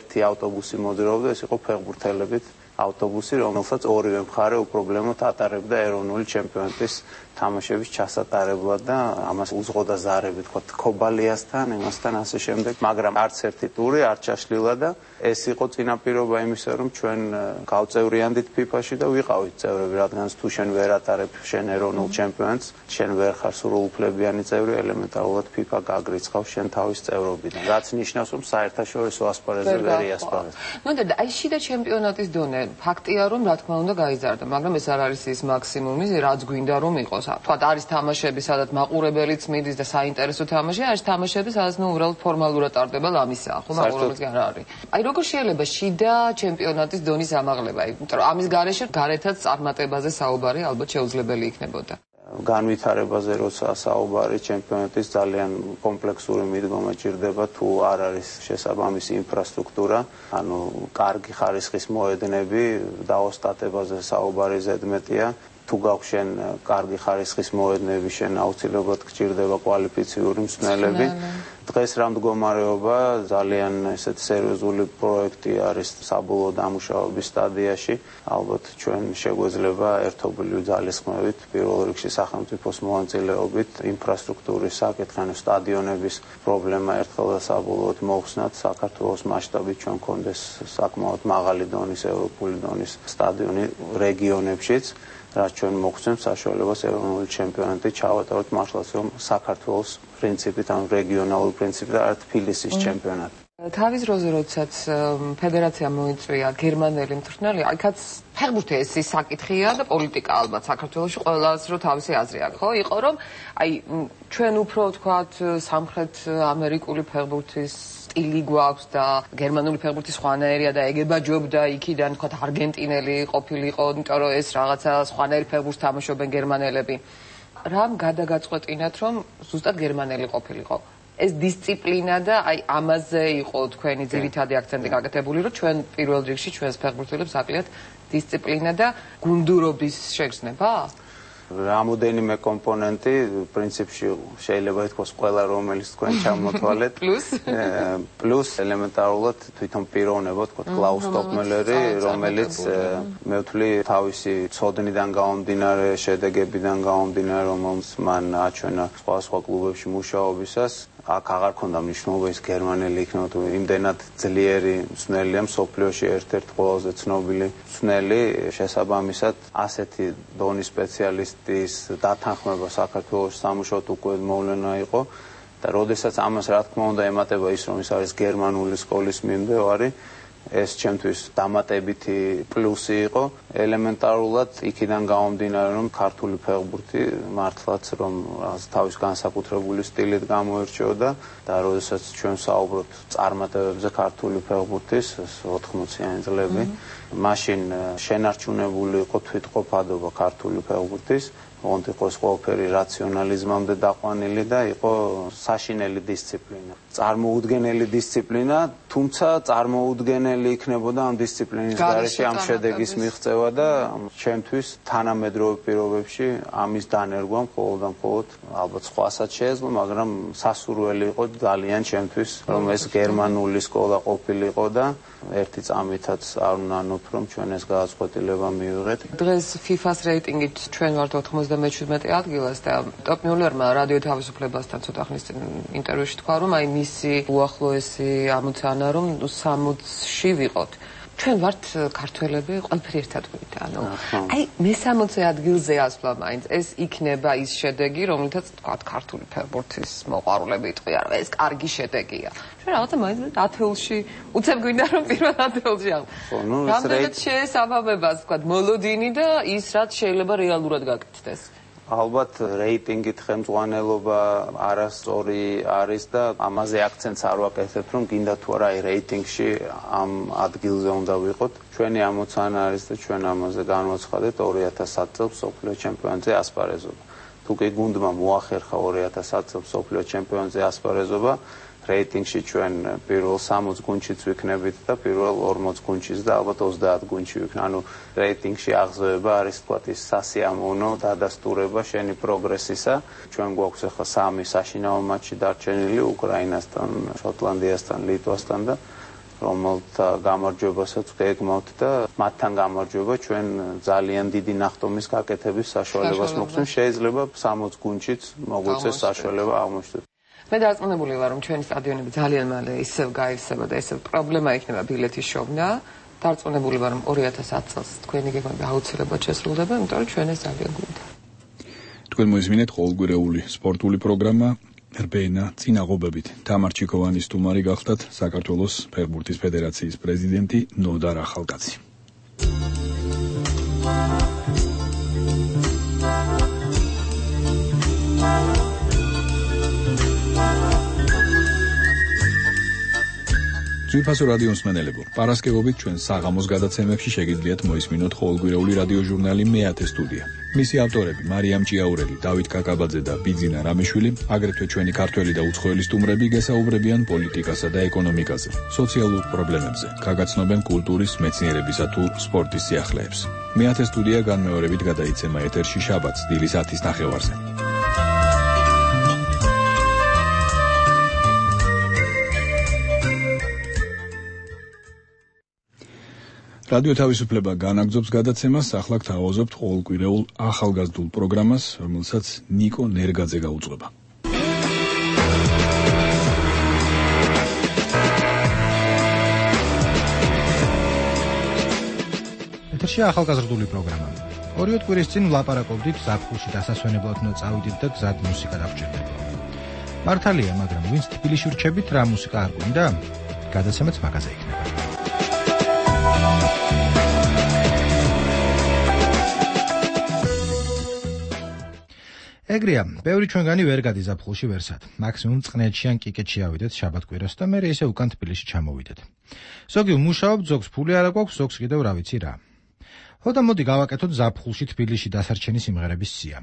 ერთი ავტობუსი მოდროობდა, ეს იყო ფეხბურთელებით ავტობუსი, რომელსაც ორივე მხარე უპრობლემოდ ატარებდა ეროვნული ჩემპიონატის თამაშების ჩასატარებლად და ამას უძღოდა ზარები, თქვა ქობალიასთან, იმასთან ასე შემდეგ, მაგრამ არც ერთი ტური არ ჩაშლილა და ეს იყო წინაპირობა იმისა, რომ ჩვენ გავწევრიანდით ფიფაში და ვიყავით წევრები, რადგან თუ შენ ვერ ატარებ შენ ეროვნულ ჩემპიონატს, შენ ვერ ხარ სრულუფლებიანი წევრი, ელემენტარულად ფიფა გაგრიცხავს შენ თავის წევრობიდან, რაც ნიშნავს, რომ საერთაშორისო ასპარეზზე ვერ იასპარეზ. ნუ და აი შიდა ჩემპიონატის დონე ფაქტია, რომ რა თქმა უნდა გაიზარდა, მაგრამ ეს არ არის ის მაქსიმუმი, რაც გვინდა რომ იყოს. თქვათ არის თამაშები, სადაც მაყურებელიც მიდის და საინტერესო თამაში, არის თამაშები, სადაც ნუ უბრალოდ ფორმალურად ტარდება ამისა, ხო, მაყურებელიც არ არის. აი როგორ შეიძლება შიდა ჩემპიონატის დონის ამაღლება, იმიტომ რომ ამის გარეშე გარეთაც წარმატებაზე საუბარი ალბათ შეუძლებელი იქნებოდა. განვითარებაზე როცა საუბარი ჩემპიონატის ძალიან კომპლექსური მიდგომა ჭირდება, თუ არ არის შესაბამისი ინფრასტრუქტურა, ანუ კარგი ხარისხის მოედნები, დაოსტატებაზე საუბარი ზედმეტია. თუ გავხშენ კარგი ხარისხის მოედნები, შენ აუცილებლად გჭირდება კვალიფიციური მსმენელები. დღეს რა მდგომარეობა, ძალიან ესეთ სერიოზული პროექტი არის საბოლოო დამუშავების სტადიაში. ალბათ ჩვენ შეგვეძლება ერთობლივი ძალისხმევით, პირველ რიგში სახელმწიფოს მონაწილეობით, ინფრასტრუქტურის საკითხი, სტადიონების პრობლემა ერთხელ და საბოლოოდ მოხსნათ, საქართველოს მასშტაბით ჩვენ გქონდეს საკმაოდ მაღალი დონის, ევროპული დონის სტადიონი რეგიონებშიც. რაც ჩვენ მოგცემს საშუალებას ეროვნული ჩემპიონატი ჩავატაროთ მართლაც რომ საქართველოს პრინციპით, ანუ რეგიონალური პრინციპით და არა თბილისის ჩემპიონატი. თავის დროზე, როდესაც ფედერაცია მოიწვია გერმანელი მწვრთნელი, იქაც ფეხბურთი ეს ის საკითხია და პოლიტიკა ალბათ საქართველოში ყველას რო თავისი აზრი აქვს, ხო? იყო რომ აი ჩვენ უფრო ვთქვათ სამხრეთ ამერიკული ფეხბურთის სტილი გვაქვს და გერმანული ფეხბურთი სხვანაირია და ეგებაჯობდა იქიდან თქვათ არგენტინელი ყოფილიყო, იმიტომ რომ ეს რაღაცა სხვანაირი ფეხბურთს თამაშობენ გერმანელები. რამ გადაგაწყვეტინათ რომ ზუსტად გერმანელი ყოფილიყო? ეს დისციპლინა და აი ამაზე იყო თქვენი ძირითადი აქცენტი გაკეთებული, რომ ჩვენ პირველ რიგში ჩვენს ფეხბურთელებს აკლიათ დისციპლინა და გუნდურობის შეგრძნება? რამოდენიმე კომპონენტი პრინციპში შეიძლება ითქვას ყველა რომელიც თქვენ ჩამოთვალეთ პლუს პლუს ელემენტარულად თვითონ პიროვნება თქვა კლაუს ტოპმელერი რომელიც მე ვთვლი თავისი ცოდნიდან გამომდინარე შედეგებიდან გამომდინარე რომელიც მან აჩვენა სხვა სხვა კლუბებში მუშაობისას აქ აღარ ქონდა მნიშვნელობა ის გერმანელი იქნება თუ იმდენად ძლიერი მცნელია მსოფლიოში ერთ-ერთი ყველაზე ცნობილი მცნელი შესაბამისად ასეთი დონის სპეციალისტის დათანხმება საქართველოს სამუშაოდ უკვე მოვლენა იყო და როდესაც ამას რა თქმა უნდა ემატება ის რომ ის არის გერმანული სკოლის მიმდევარი ეს ჩემთვის დამატებითი პლუსი იყო ელემენტარულად იქიდან გამომდინარე რომ ქართული ფეხბურთი მართლაც რომ თავის განსაკუთრებული სტილით გამოირჩეოდა და როდესაც ჩვენ ვსაუბრობთ წარმატებებზე ქართული ფეხბურთის ოთხმოციანი წლები მაშინ შენარჩუნებული იყო თვითყოფადობა ქართული ფეხბურთის ოღონდ იყო ყველაფერი რაციონალიზმამდე დაყვანილი და იყო საშინელი დისციპლინა. წარმოუდგენელი დისციპლინა, თუმცა წარმოუდგენელი იქნებოდა ამ დისციპლინის გარეშე ამ შედეგის მიღწევა და ჩემთვის თანამედროვე პირობებში ამის დანერგვა მხოლოდ და მხოლოდ ალბათ სხვასაც შეეძლო, მაგრამ სასურველი იყო ძალიან ჩემთვის, რომ ეს გერმანული სკოლა ყოფილიყო და ერთი წამითაც არ უნანოთ რომ ჩვენ ეს გადაწყვეტილება მივიღეთ. დღეს FIFA-ს რეიტინგით ჩვენ ვართ ოთხმოცდამეჩვიდმეტე ადგილას და ტოპ მიულერმა რადიო თავისუფლებასთან ცოტა ხნის წინ ინტერვიუში თქვა რომ აი მისი უახლოესი ამოცანა რომ სამოცში ვიყოთ. ჩვენ ვართ ქართველები ყველაფერი ერთად გვით, ანუ აი მესამოცე ადგილზე ასვლა მაინც ეს იქნება ის შედეგი, რომელთაც თქვა ქართული ფეხბურთის მოყვარულები იტყვიან, რომ ეს კარგი შედეგია. ჩვენ რაღაცა მაინც ათეულში უცებ გვინდა რომ პირველ ათეულში აღვ. რამდენად შეესაბამება თქვა მოლოდინი და ის რაც შეიძლება რეალურად გაკეთდეს. ალბათ რეიტინგით ხელმძღვანელობა არასწორი არის და ამაზე აქცენტს არ ვაკეთებ რომ გინდა თუ არა აი რეიტინგში ამ ადგილზე უნდა ვიყოთ ჩვენი ამოცანა არის და ჩვენ ამაზე განვაცხადეთ ორი ათას ათი წელს მსოფლიო ჩემპიონატზე ასპარეზობა თუ კი გუნდმა მოახერხა ორი ათას ათი წელს მსოფლიო ჩემპიონატზე ასპარეზობა რეიტინგში ჩვენ პირველ სამოც გუნდშიც ვიქნებით და პირველ ორმოც გუნდშიც და ალბათ ოცდაათ გუნდში ვიქნებით. ანუ რეიტინგში აღზევება არის თქვათ ის სასიამოვნო დადასტურება შენი პროგრესისა. ჩვენ გვაქვს ახლა სამი საშინაო მატჩი დარჩენილი უკრაინასთან, შოტლანდიასთან, ლიტვასთან და რომელთა გამარჯვებასაც გეგმავთ და მათთან გამარჯვება ჩვენ ძალიან დიდი ნახტომის გაკეთების საშუალებას მოგცემ. შეიძლება სამოც გუნდშიც მოგვეცეს საშუალება აღმოჩნდეს. მე დარწმუნებული ვარ რომ ჩვენი სტადიონები ძალიან მალე ისევ გაივსება და ისევ პრობლემა იქნება ბილეთის შოვნა. დარწმუნებული ვარ რომ ორი ათას ათი წელს თქვენი გეგმები აუცილებლად შესრულდება, იმიტომ რომ ჩვენ ეს ძალიან გვინდა. თქვენ მოისმინეთ ყოველგვარეული სპორტული პროგრამა რბენა წინაღობებით. თამარ ჩიქოვანის სტუმარი გახდათ საქართველოს ფეხბურთის ფედერაციის პრეზიდენტი ნოდარ ახალკაცი. ძვირფასო რადიო მსმენელებო, პარასკევობით ჩვენ საღამოს გადაცემებში შეგიძლიათ მოისმინოთ ყოველგვარეული რადიო ჟურნალი მეათე სტუდია. მისი ავტორები მარიამ ჭიაურელი, დავით კაკაბაძე და ბიძინა რამიშვილი, აგრეთვე ჩვენი ქართველი და უცხოელი სტუმრები გესაუბრებიან პოლიტიკასა და ეკონომიკაზე, სოციალურ პრობლემებზე, გაგაცნობენ კულტურის, მეცნიერებისა თუ სპორტის სიახლეებს. მეათე სტუდია განმეორებით გადაიცემა ეთერში შაბათს დილის ათის ნახევარზე. რადიო თავისუფლება განაგრძობს გადაცემას, ახლა გთავაზობთ ყოველკვირეულ ახალგაზრდულ პროგრამას, რომელსაც ნიკო ნერგაძე გაუძღვება. ეთერში ახალგაზრდული პროგრამა. ორიოდ კვირის წინ ვლაპარაკობდით ზაფხულში დასასვენებლად უნდა წავიდით და გზად მუსიკა დაგჭირდება. მართალია, მაგრამ ვინც თბილისში ვრჩებით, რა მუსიკა არ გვინდა? გადაცემაც მაგაზე იქნება. ეგრეა, ბევრი ჩვენგანი ვერ გადის ზაფხულში ვერსად. მაქსიმუმ წყნეთში ან კიკეთში ავიდეთ შაბათ-კვირას და მერე ისე უკან თბილისში ჩამოვიდეთ. ზოგი ვმუშაობ, ზოგს ფული არ აქვს, ზოგს კიდევ რა ვიცი რა. ხო და მოდი გავაკეთოთ ზაფხულში თბილისში დასარჩენი სიმღერების სია.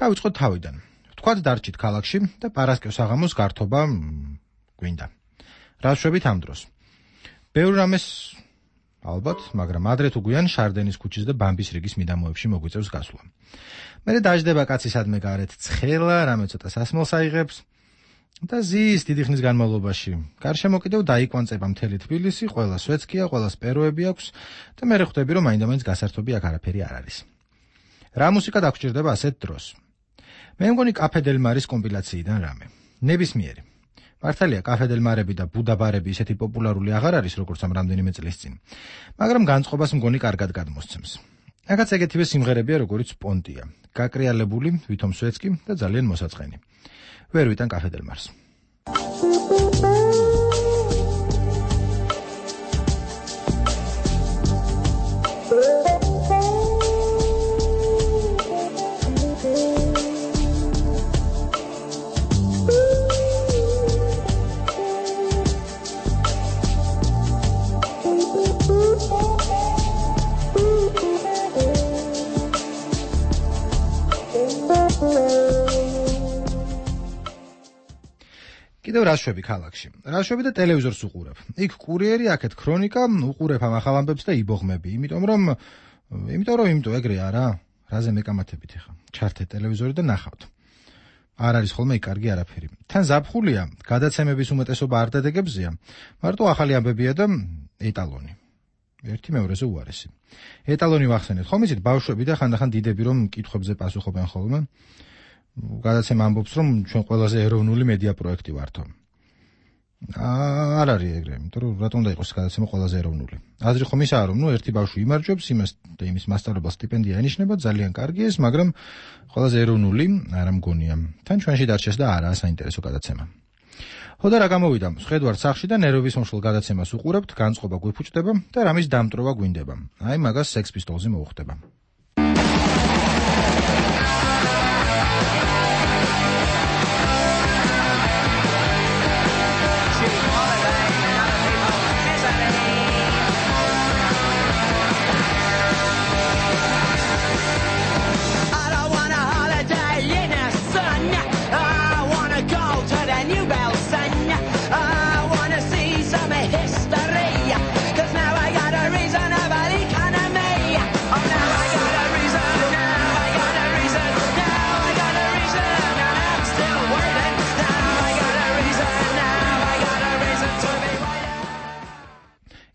დავიწყოთ თავიდან. თქვათ დარჩით ქალაქში და პარასკევს აღამოს გართობა გვინდა. რა შვებით ამ დროს? ბევრ რამეს ალბათ, მაგრამ ადრე თუ გვიან შარდენის ქუჩის და ბამბის რიგის მიდამოებში მოგვიწევს გასვლა. მერე დაждდება კაცი სადმე გარეთ ცხელა, რამე ცოტა სასმელს აიღებს და ზის დიდი ხნის განმავლობაში. გარშემო კიდევ დაიკვანწება მთელი თბილისი, ყველა სვეცკია, ყველა სპეროები აქვს და მე ხვდები რომ მაინდა-მაინც გასართობი აქ არაფერი არ არის. რა მუსიკა დაგჭირდება ასეთ დროს? მე მგონი კაფე დელ მარის კომპილაციიდან რამე. ნებისმიერი. მართალია კაფე დელ მარები და ბუდაბარები ისეთი პოპულარული აღარ არის როგორც ამ რამდენიმე წლის წინ. მაგრამ განწყობას მგონი კარგად გადმოსცემს. აქაც ეგეთივე სიმღერებია როგორიც პონტია. გაკრიალებული, ვითომ სვეცკი და ძალიან მოსაწყენი. ვერ ვიტან კაფე დელ მარს. კიდევ რაშვები ქალაქში. რაშვები და ტელევიზორს უყურებ. იქ კურიერი, აქეთ ქრონიკა, უყურებ ამ ახალ ამბებს და იბოღმები. იმიტომ რომ იმიტომ რომ იმიტომ ეგრე არა. რაზე მეკამათებით ახლა? ჩართე ტელევიზორი და ნახავთ. არ არის ხოლმე იქ კარგი არაფერი. თან ზაფხულია, გადაცემების უმეტესობა არ დადეგებზეა. მარტო ახალი ამბებია და ეტალონი. ერთი მეორეზე უარესი. ეტალონი ვახსენეთ. ხომ იცით ბავშვები და ხანდახან დიდები რომ კითხვებზე პასუხობენ ხოლმე. გადაცემა ამბობს რომ ჩვენ ყველაზე ეროვნული მედია პროექტი ვართო. არ არის ეგრე, იმიტომ რომ რატომ უნდა იყოს გადაცემა ყველაზე ეროვნული. აზრი ხომ ისაა რომ ნუ ერთი ბავშვი იმარჯვებს, იმას და იმის მასწავლებლად სტიპენდია ენიშნება, ძალიან კარგი ეს, მაგრამ ყველაზე ეროვნული არ მგონია. თან ჩვენში დარჩეს და არაა საინტერესო გადაცემა. ხო და რა გამოვიდა? შედვარ სახში და ნერვების მომშლ გადაცემას უყურებთ, განწყობა გვიფუჭდება და რამის დამტრობა გვინდება. აი მაგას Sex Pistols-ი მოუხდება.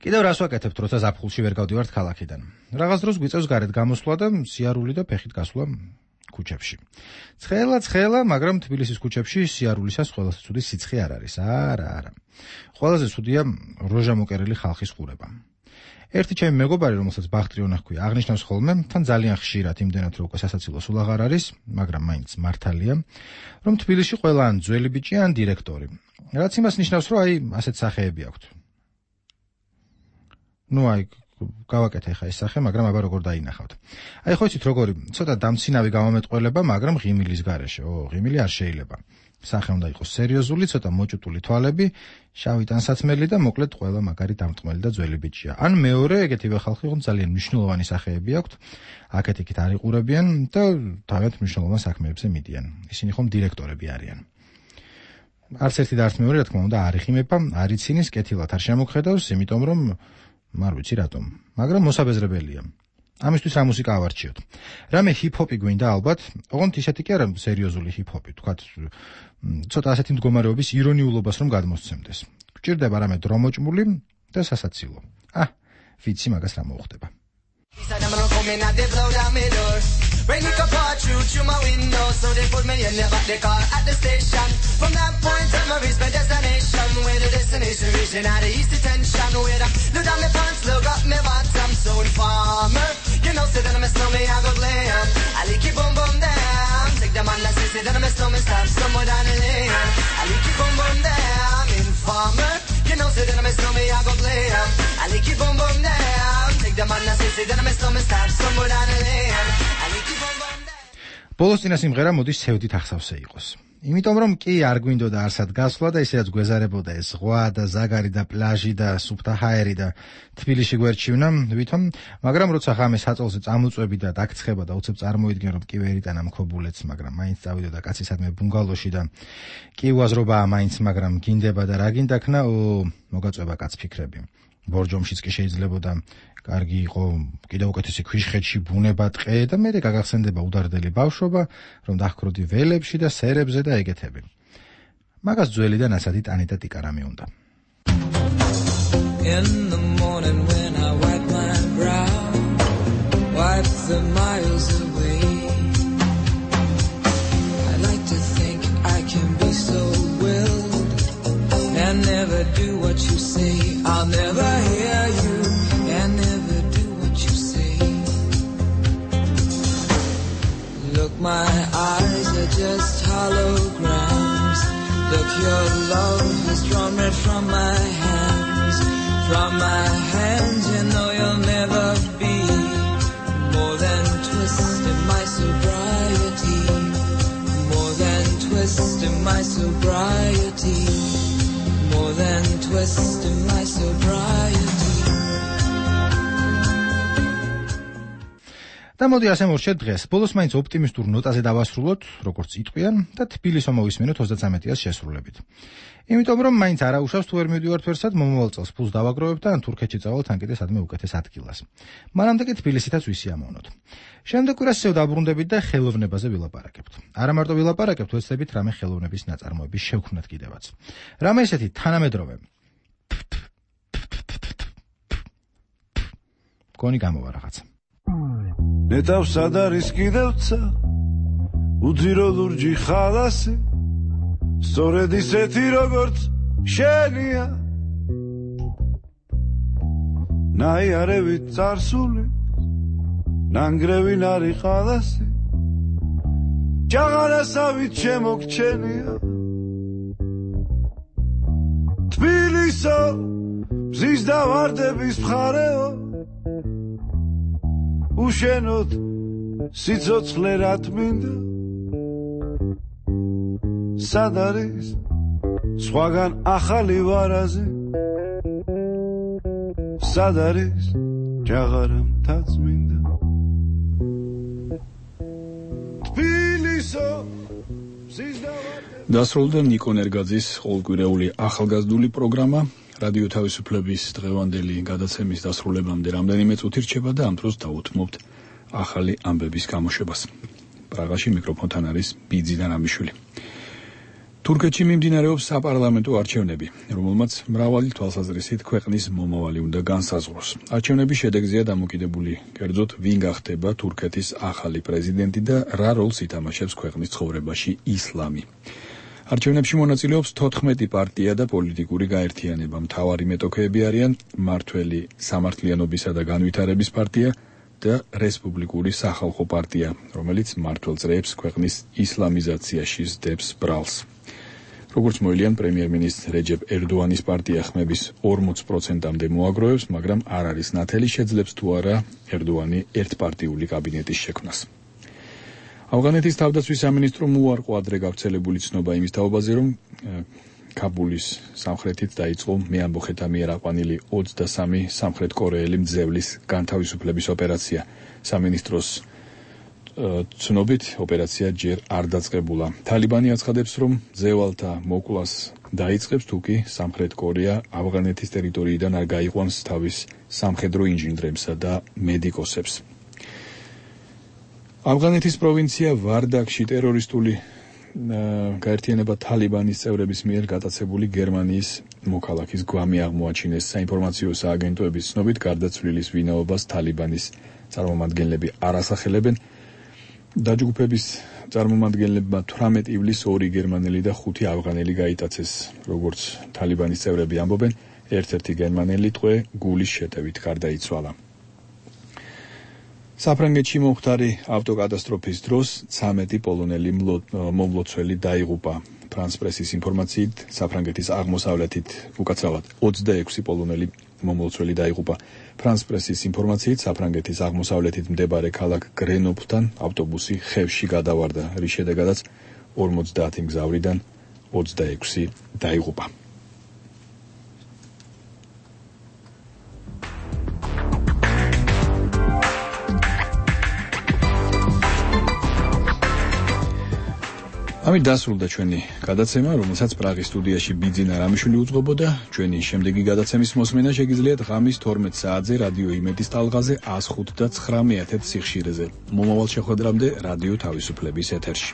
კიდევ რას ვაკეთებთ, როცა ზაფხულში ვერ გავდივართ ქალაქიდან? Რაღაც დროს გვიწევს გარეთ გამოსვლა და სიარული და ფეხით გასვლა ქუჩებში. ცხელა, ცხელა, მაგრამ თბილისის ქუჩებში სიარულისას ყველაზე ცუდი სიცხე არ არის. არა, არა. ყველაზე ცუდია როჟა მოკერილი ხალხის ყურება. ერთი ჩემი მეგობარი, რომელსაც ბახტრიონა ჰქვია, აღნიშნავს ხოლმე, თან ძალიან ხშირად იმდენად რომ უკვე სასაცილო სულ აღარ არის, მაგრამ მაინც მართალია, რომ თბილისში ყველა ან ძველი ბიჭი ან დირექტორი. რაც იმას ნიშნავს, რომ აი ასეთ სახეები აქვთ. ნუ აი გავაკეთე ხა ეს სახე, მაგრამ აბა როგორ დაინახავთ. აი ხო იცით როგორი, ცოტა დამცინავი გამომეტყველება, მაგრამ ღიმილის გარეშე. ო, ღიმილი არ შეიძლება. სახე უნდა იყოს სერიოზული, ცოტა მოჭუტული თვალები, შავი ტანსაცმელი და მოკლედ ყველა მაგარი დამტყმელი და ძველი ბიჭია. ან მეორე, ეგეთივე ხალხი ხომ ძალიან მნიშვნელოვანი სახეები აქვთ, აქეთ-იქით არ იყურებიან და თავად მნიშვნელოვან საქმეებზე მიდიან. ისინი ხომ დირექტორები არიან. არც ერთი და არც მეორე, რა თქმა უნდა, არ იხიმება, არ იცინის, კეთილად არ შემოგხედავს, იმიტომ რომ არ ვიცი რატომ, მაგრამ მოსაბეზრებელია. ამისთვის რა მუსიკა ავარჩიოთ? რამე ჰიპ-ჰოპი გვინდა ალბათ, ოღონდ ისეთი კი არა სერიოზული ჰიპ-ჰოპი, თქვათ, ცოტა ასეთი მდგომარეობის ირონიულობას რომ გადმოსცემდეს. გჭირდება რამე დრომოჭმული და სასაცილო. ა, ვიცი მაგას რა მოუხდება. Rain it could pour through through my window, so they put me in the back the car at the station. From that point on, I reached my destination. Where the destination region had the east detention. Where I look down my pants, look up my bottom. So informer, you know, say that I'm a snowman, I go glam. I like it boom boom down. Take the man that says say that I'm a snowman, stop somewhere down the lane. I like it boom boom down. Informer, you know, say that I'm a snowman, I go glam. I like it boom boom down. Take the man that says say that I'm a snowman, stop somewhere down the lane. ბოლოს წინა სიმღერა მოდის ცევდით ახსავსე იყოს. იმიტომ რომ კი არ გვინდოდა არსად გასვლა და ისედაც გვეზარებოდა ეს ზღვა და ზაგარი და პლაჟი და სუფთა ჰაერი და თბილისში გვერჩივნა ვითომ, მაგრამ როცა ღამე საწოლზე წამოწვევი და დაგცხება და უცებ წარმოიდგენ რომ კი ვერ იტანა მქობულეთს, მაგრამ მაინც წავიდოდა კაცისადმე ბუნგალოში და კი უაზრობაა მაინც, მაგრამ გინდება და რა გინდაქნა, მოგაწვება კაც ფიქრები. ბორჯომშიც კი შეიძლებოდა კარგი იყო კიდევ უკეთესი ქვიშხეთში ბუნება ტყე და მე გაგახსენდება უდარდელი ბავშვობა, რომ დახკროდი ველებში და სერებზე და ეგეთები. მაგას ძველი და ნაცადი ტანი და ტიკარა მიუნდა. In the morning when I wipe my brow, wipe the miles away, I like to think I can be so willed and never do what you say. I'll never hear you and never do what you say. Look, my eyes are just holograms. Look, your love has drawn red from my hands. From my hands, you know you'll never be more than twist in my sobriety. More than twist in my sobriety. More than twist in my sobriety. და მოდი ასე მორჩეთ დღეს. ბოლოს მაინც ოპტიმისტურ ნოტაზე დავასრულოთ, როგორც იტყვიან და თბილისო მოვისმენოთ ოცდათრამეტიას შესრულებით. იმიტომ რომ მაინც არა უშავს თუ ვერ მივდივართ ვერსად, მომავალ წელს ფულს დავაგროვებ და ან თურქეთში წავალთ, ან კიდე სადმე უკეთეს ადგილას. მანამდე კი თბილისითაც ვისიამოვნოთ. შემდეგ კვირას ისევ დაბრუნდებით და ხელოვნებაზე ვილაპარაკებთ. არა მარტო ვილაპარაკებთ, ვეცდებით რამე ხელოვნების ნაწარმოების შევქმნათ კიდევაც. რამე ისეთი თანამედროვე. გონი გამოვა რაღაცა. ნეტავს სად არის კიდევცა უძირო ლურჯი ხალასი სწორედ ისეთი როგორც შენია ნაიარევით წარსული ნანგრევი ნარი ხალასი ჯაღარასავით შემოგჩენია თბილისო მზის და ვარდების მხარეო უშენოდ სიცოცხლე რათ მინდა სად არის სხვაგან ახალი ვარაზი სად არის ჯაღარამთაც მინდა თბილისო დასრულდა ნიკო ნერგაძის ყოველკვირეული ახალგაზრდული პროგრამა. რადიო თავისუფლების დღევანდელი გადაცემის დასრულებამდე რამდენიმე წუთი რჩება და ამ დროს დაუთმობთ ახალი ამბების გამოშვებას. პრაღაში მიკროფონთან არის ბიძი და ნამიშვილი. თურქეთში მიმდინარეობს საპარლამენტო არჩევნები, რომელმაც მრავალი თვალსაზრისით ქვეყნის მომავალი უნდა განსაზღვროს. არჩევნების შედეგზეა დამოკიდებული, კერძოდ, ვინ გახდება თურქეთის ახალი პრეზიდენტი და რა როლს ითამაშებს ქვეყნის ცხოვრებაში ისლამი. არჩევნებში მონაწილეობს თოთხმეტი პარტია და პოლიტიკური გაერთიანება. მთავარი მეტოქეები არიან მართველი სამართლიანობისა და განვითარების პარტია და რესპუბლიკური სახალხო პარტია, რომელიც მმართველ წრეებს ქვეყნის ისლამიზაციაში სდებს ბრალს. როგორც მოილიან, პრემიერ-მინისტრ რეჯეპ ერდოანის პარტია ხმების ორმოც პროცენტამდე მოაგროვებს, მაგრამ არ არის ნათელი შეძლებს თუ არა ერდოანი ერთპარტიული კაბინეტის შექმნას. ავღანეთის თავდაცვის სამინისტრო მოუარყო ადრე გავრცელებული ცნობა იმის თაობაზე, რომ კაბულის სამხრეთით დაიწყო მეამბოხეთა მიერ აყვანილი ოცდასამი სამხრეთ კორეელი მძევლის განთავისუფლების ოპერაცია. სამინისტროს ცნობით ოპერაცია ჯერ არ დაწყებულა. თალიბანი აცხადებს, რომ მძევალთა მოკვლას დაიწყებს, თუკი სამხრეთ კორეა ავღანეთის ტერიტორიიდან არ გაიყვანს თავის სამხედრო ინჟინრებსა და მედიკოსებს. ავღანეთის პროვინცია ვარდაკში ტერორისტული გაერთიანება თალიბანის წევრების მიერ გატაცებული გერმანიის მოქალაქის გვამი აღმოაჩინეს. საინფორმაციო სააგენტოების ცნობით, გარდაცვლილის ვინაობას თალიბანის წარმომადგენლები არ ასახელებენ. დაჯგუფების წარმომადგენლებმა თვრამეტი ივლისს ორი გერმანელი და ხუთი ავღანელი გაიტაცეს. როგორც თალიბანის წევრები ამბობენ, ერთ-ერთი გერმანელი ტყვე გულის შეტევით გარდაიცვალა. საფრანგეთში მომხდარი ავტოკატასტროფის დროს ცამეტი პოლონელი მომლოცველი დაიღუპა. ფრანს პრესის ინფორმაციით, საფრანგეთის აღმოსავლეთით უკაცრავად ოცდაექვსი პოლონელი მომლოცველი დაიღუპა. ფრანს პრესის ინფორმაციით, საფრანგეთის აღმოსავლეთით მდებარე ქალაქ გრენოფლთან ავტობუსი ხევში გადავარდა, რის შედეგადაც ორმოცდაათი მგზავრიდან ოცდაექვსი დაიღუპა. ამით დასრულდა ჩვენი გადაცემა, რომელსაც პრაღის სტუდიაში ბიძინა რამიშვილი უძღვებოდა. ჩვენი შემდეგი გადაცემის მოსმენა შეგიძლიათ ღამის თორმეტ საათზე რადიო იმედის ტალღაზე ას ხუთ და ცხრამეტ სიხშირეზე. მომავალ შეხვედრამდე რადიო თავისუფლების ეთერში.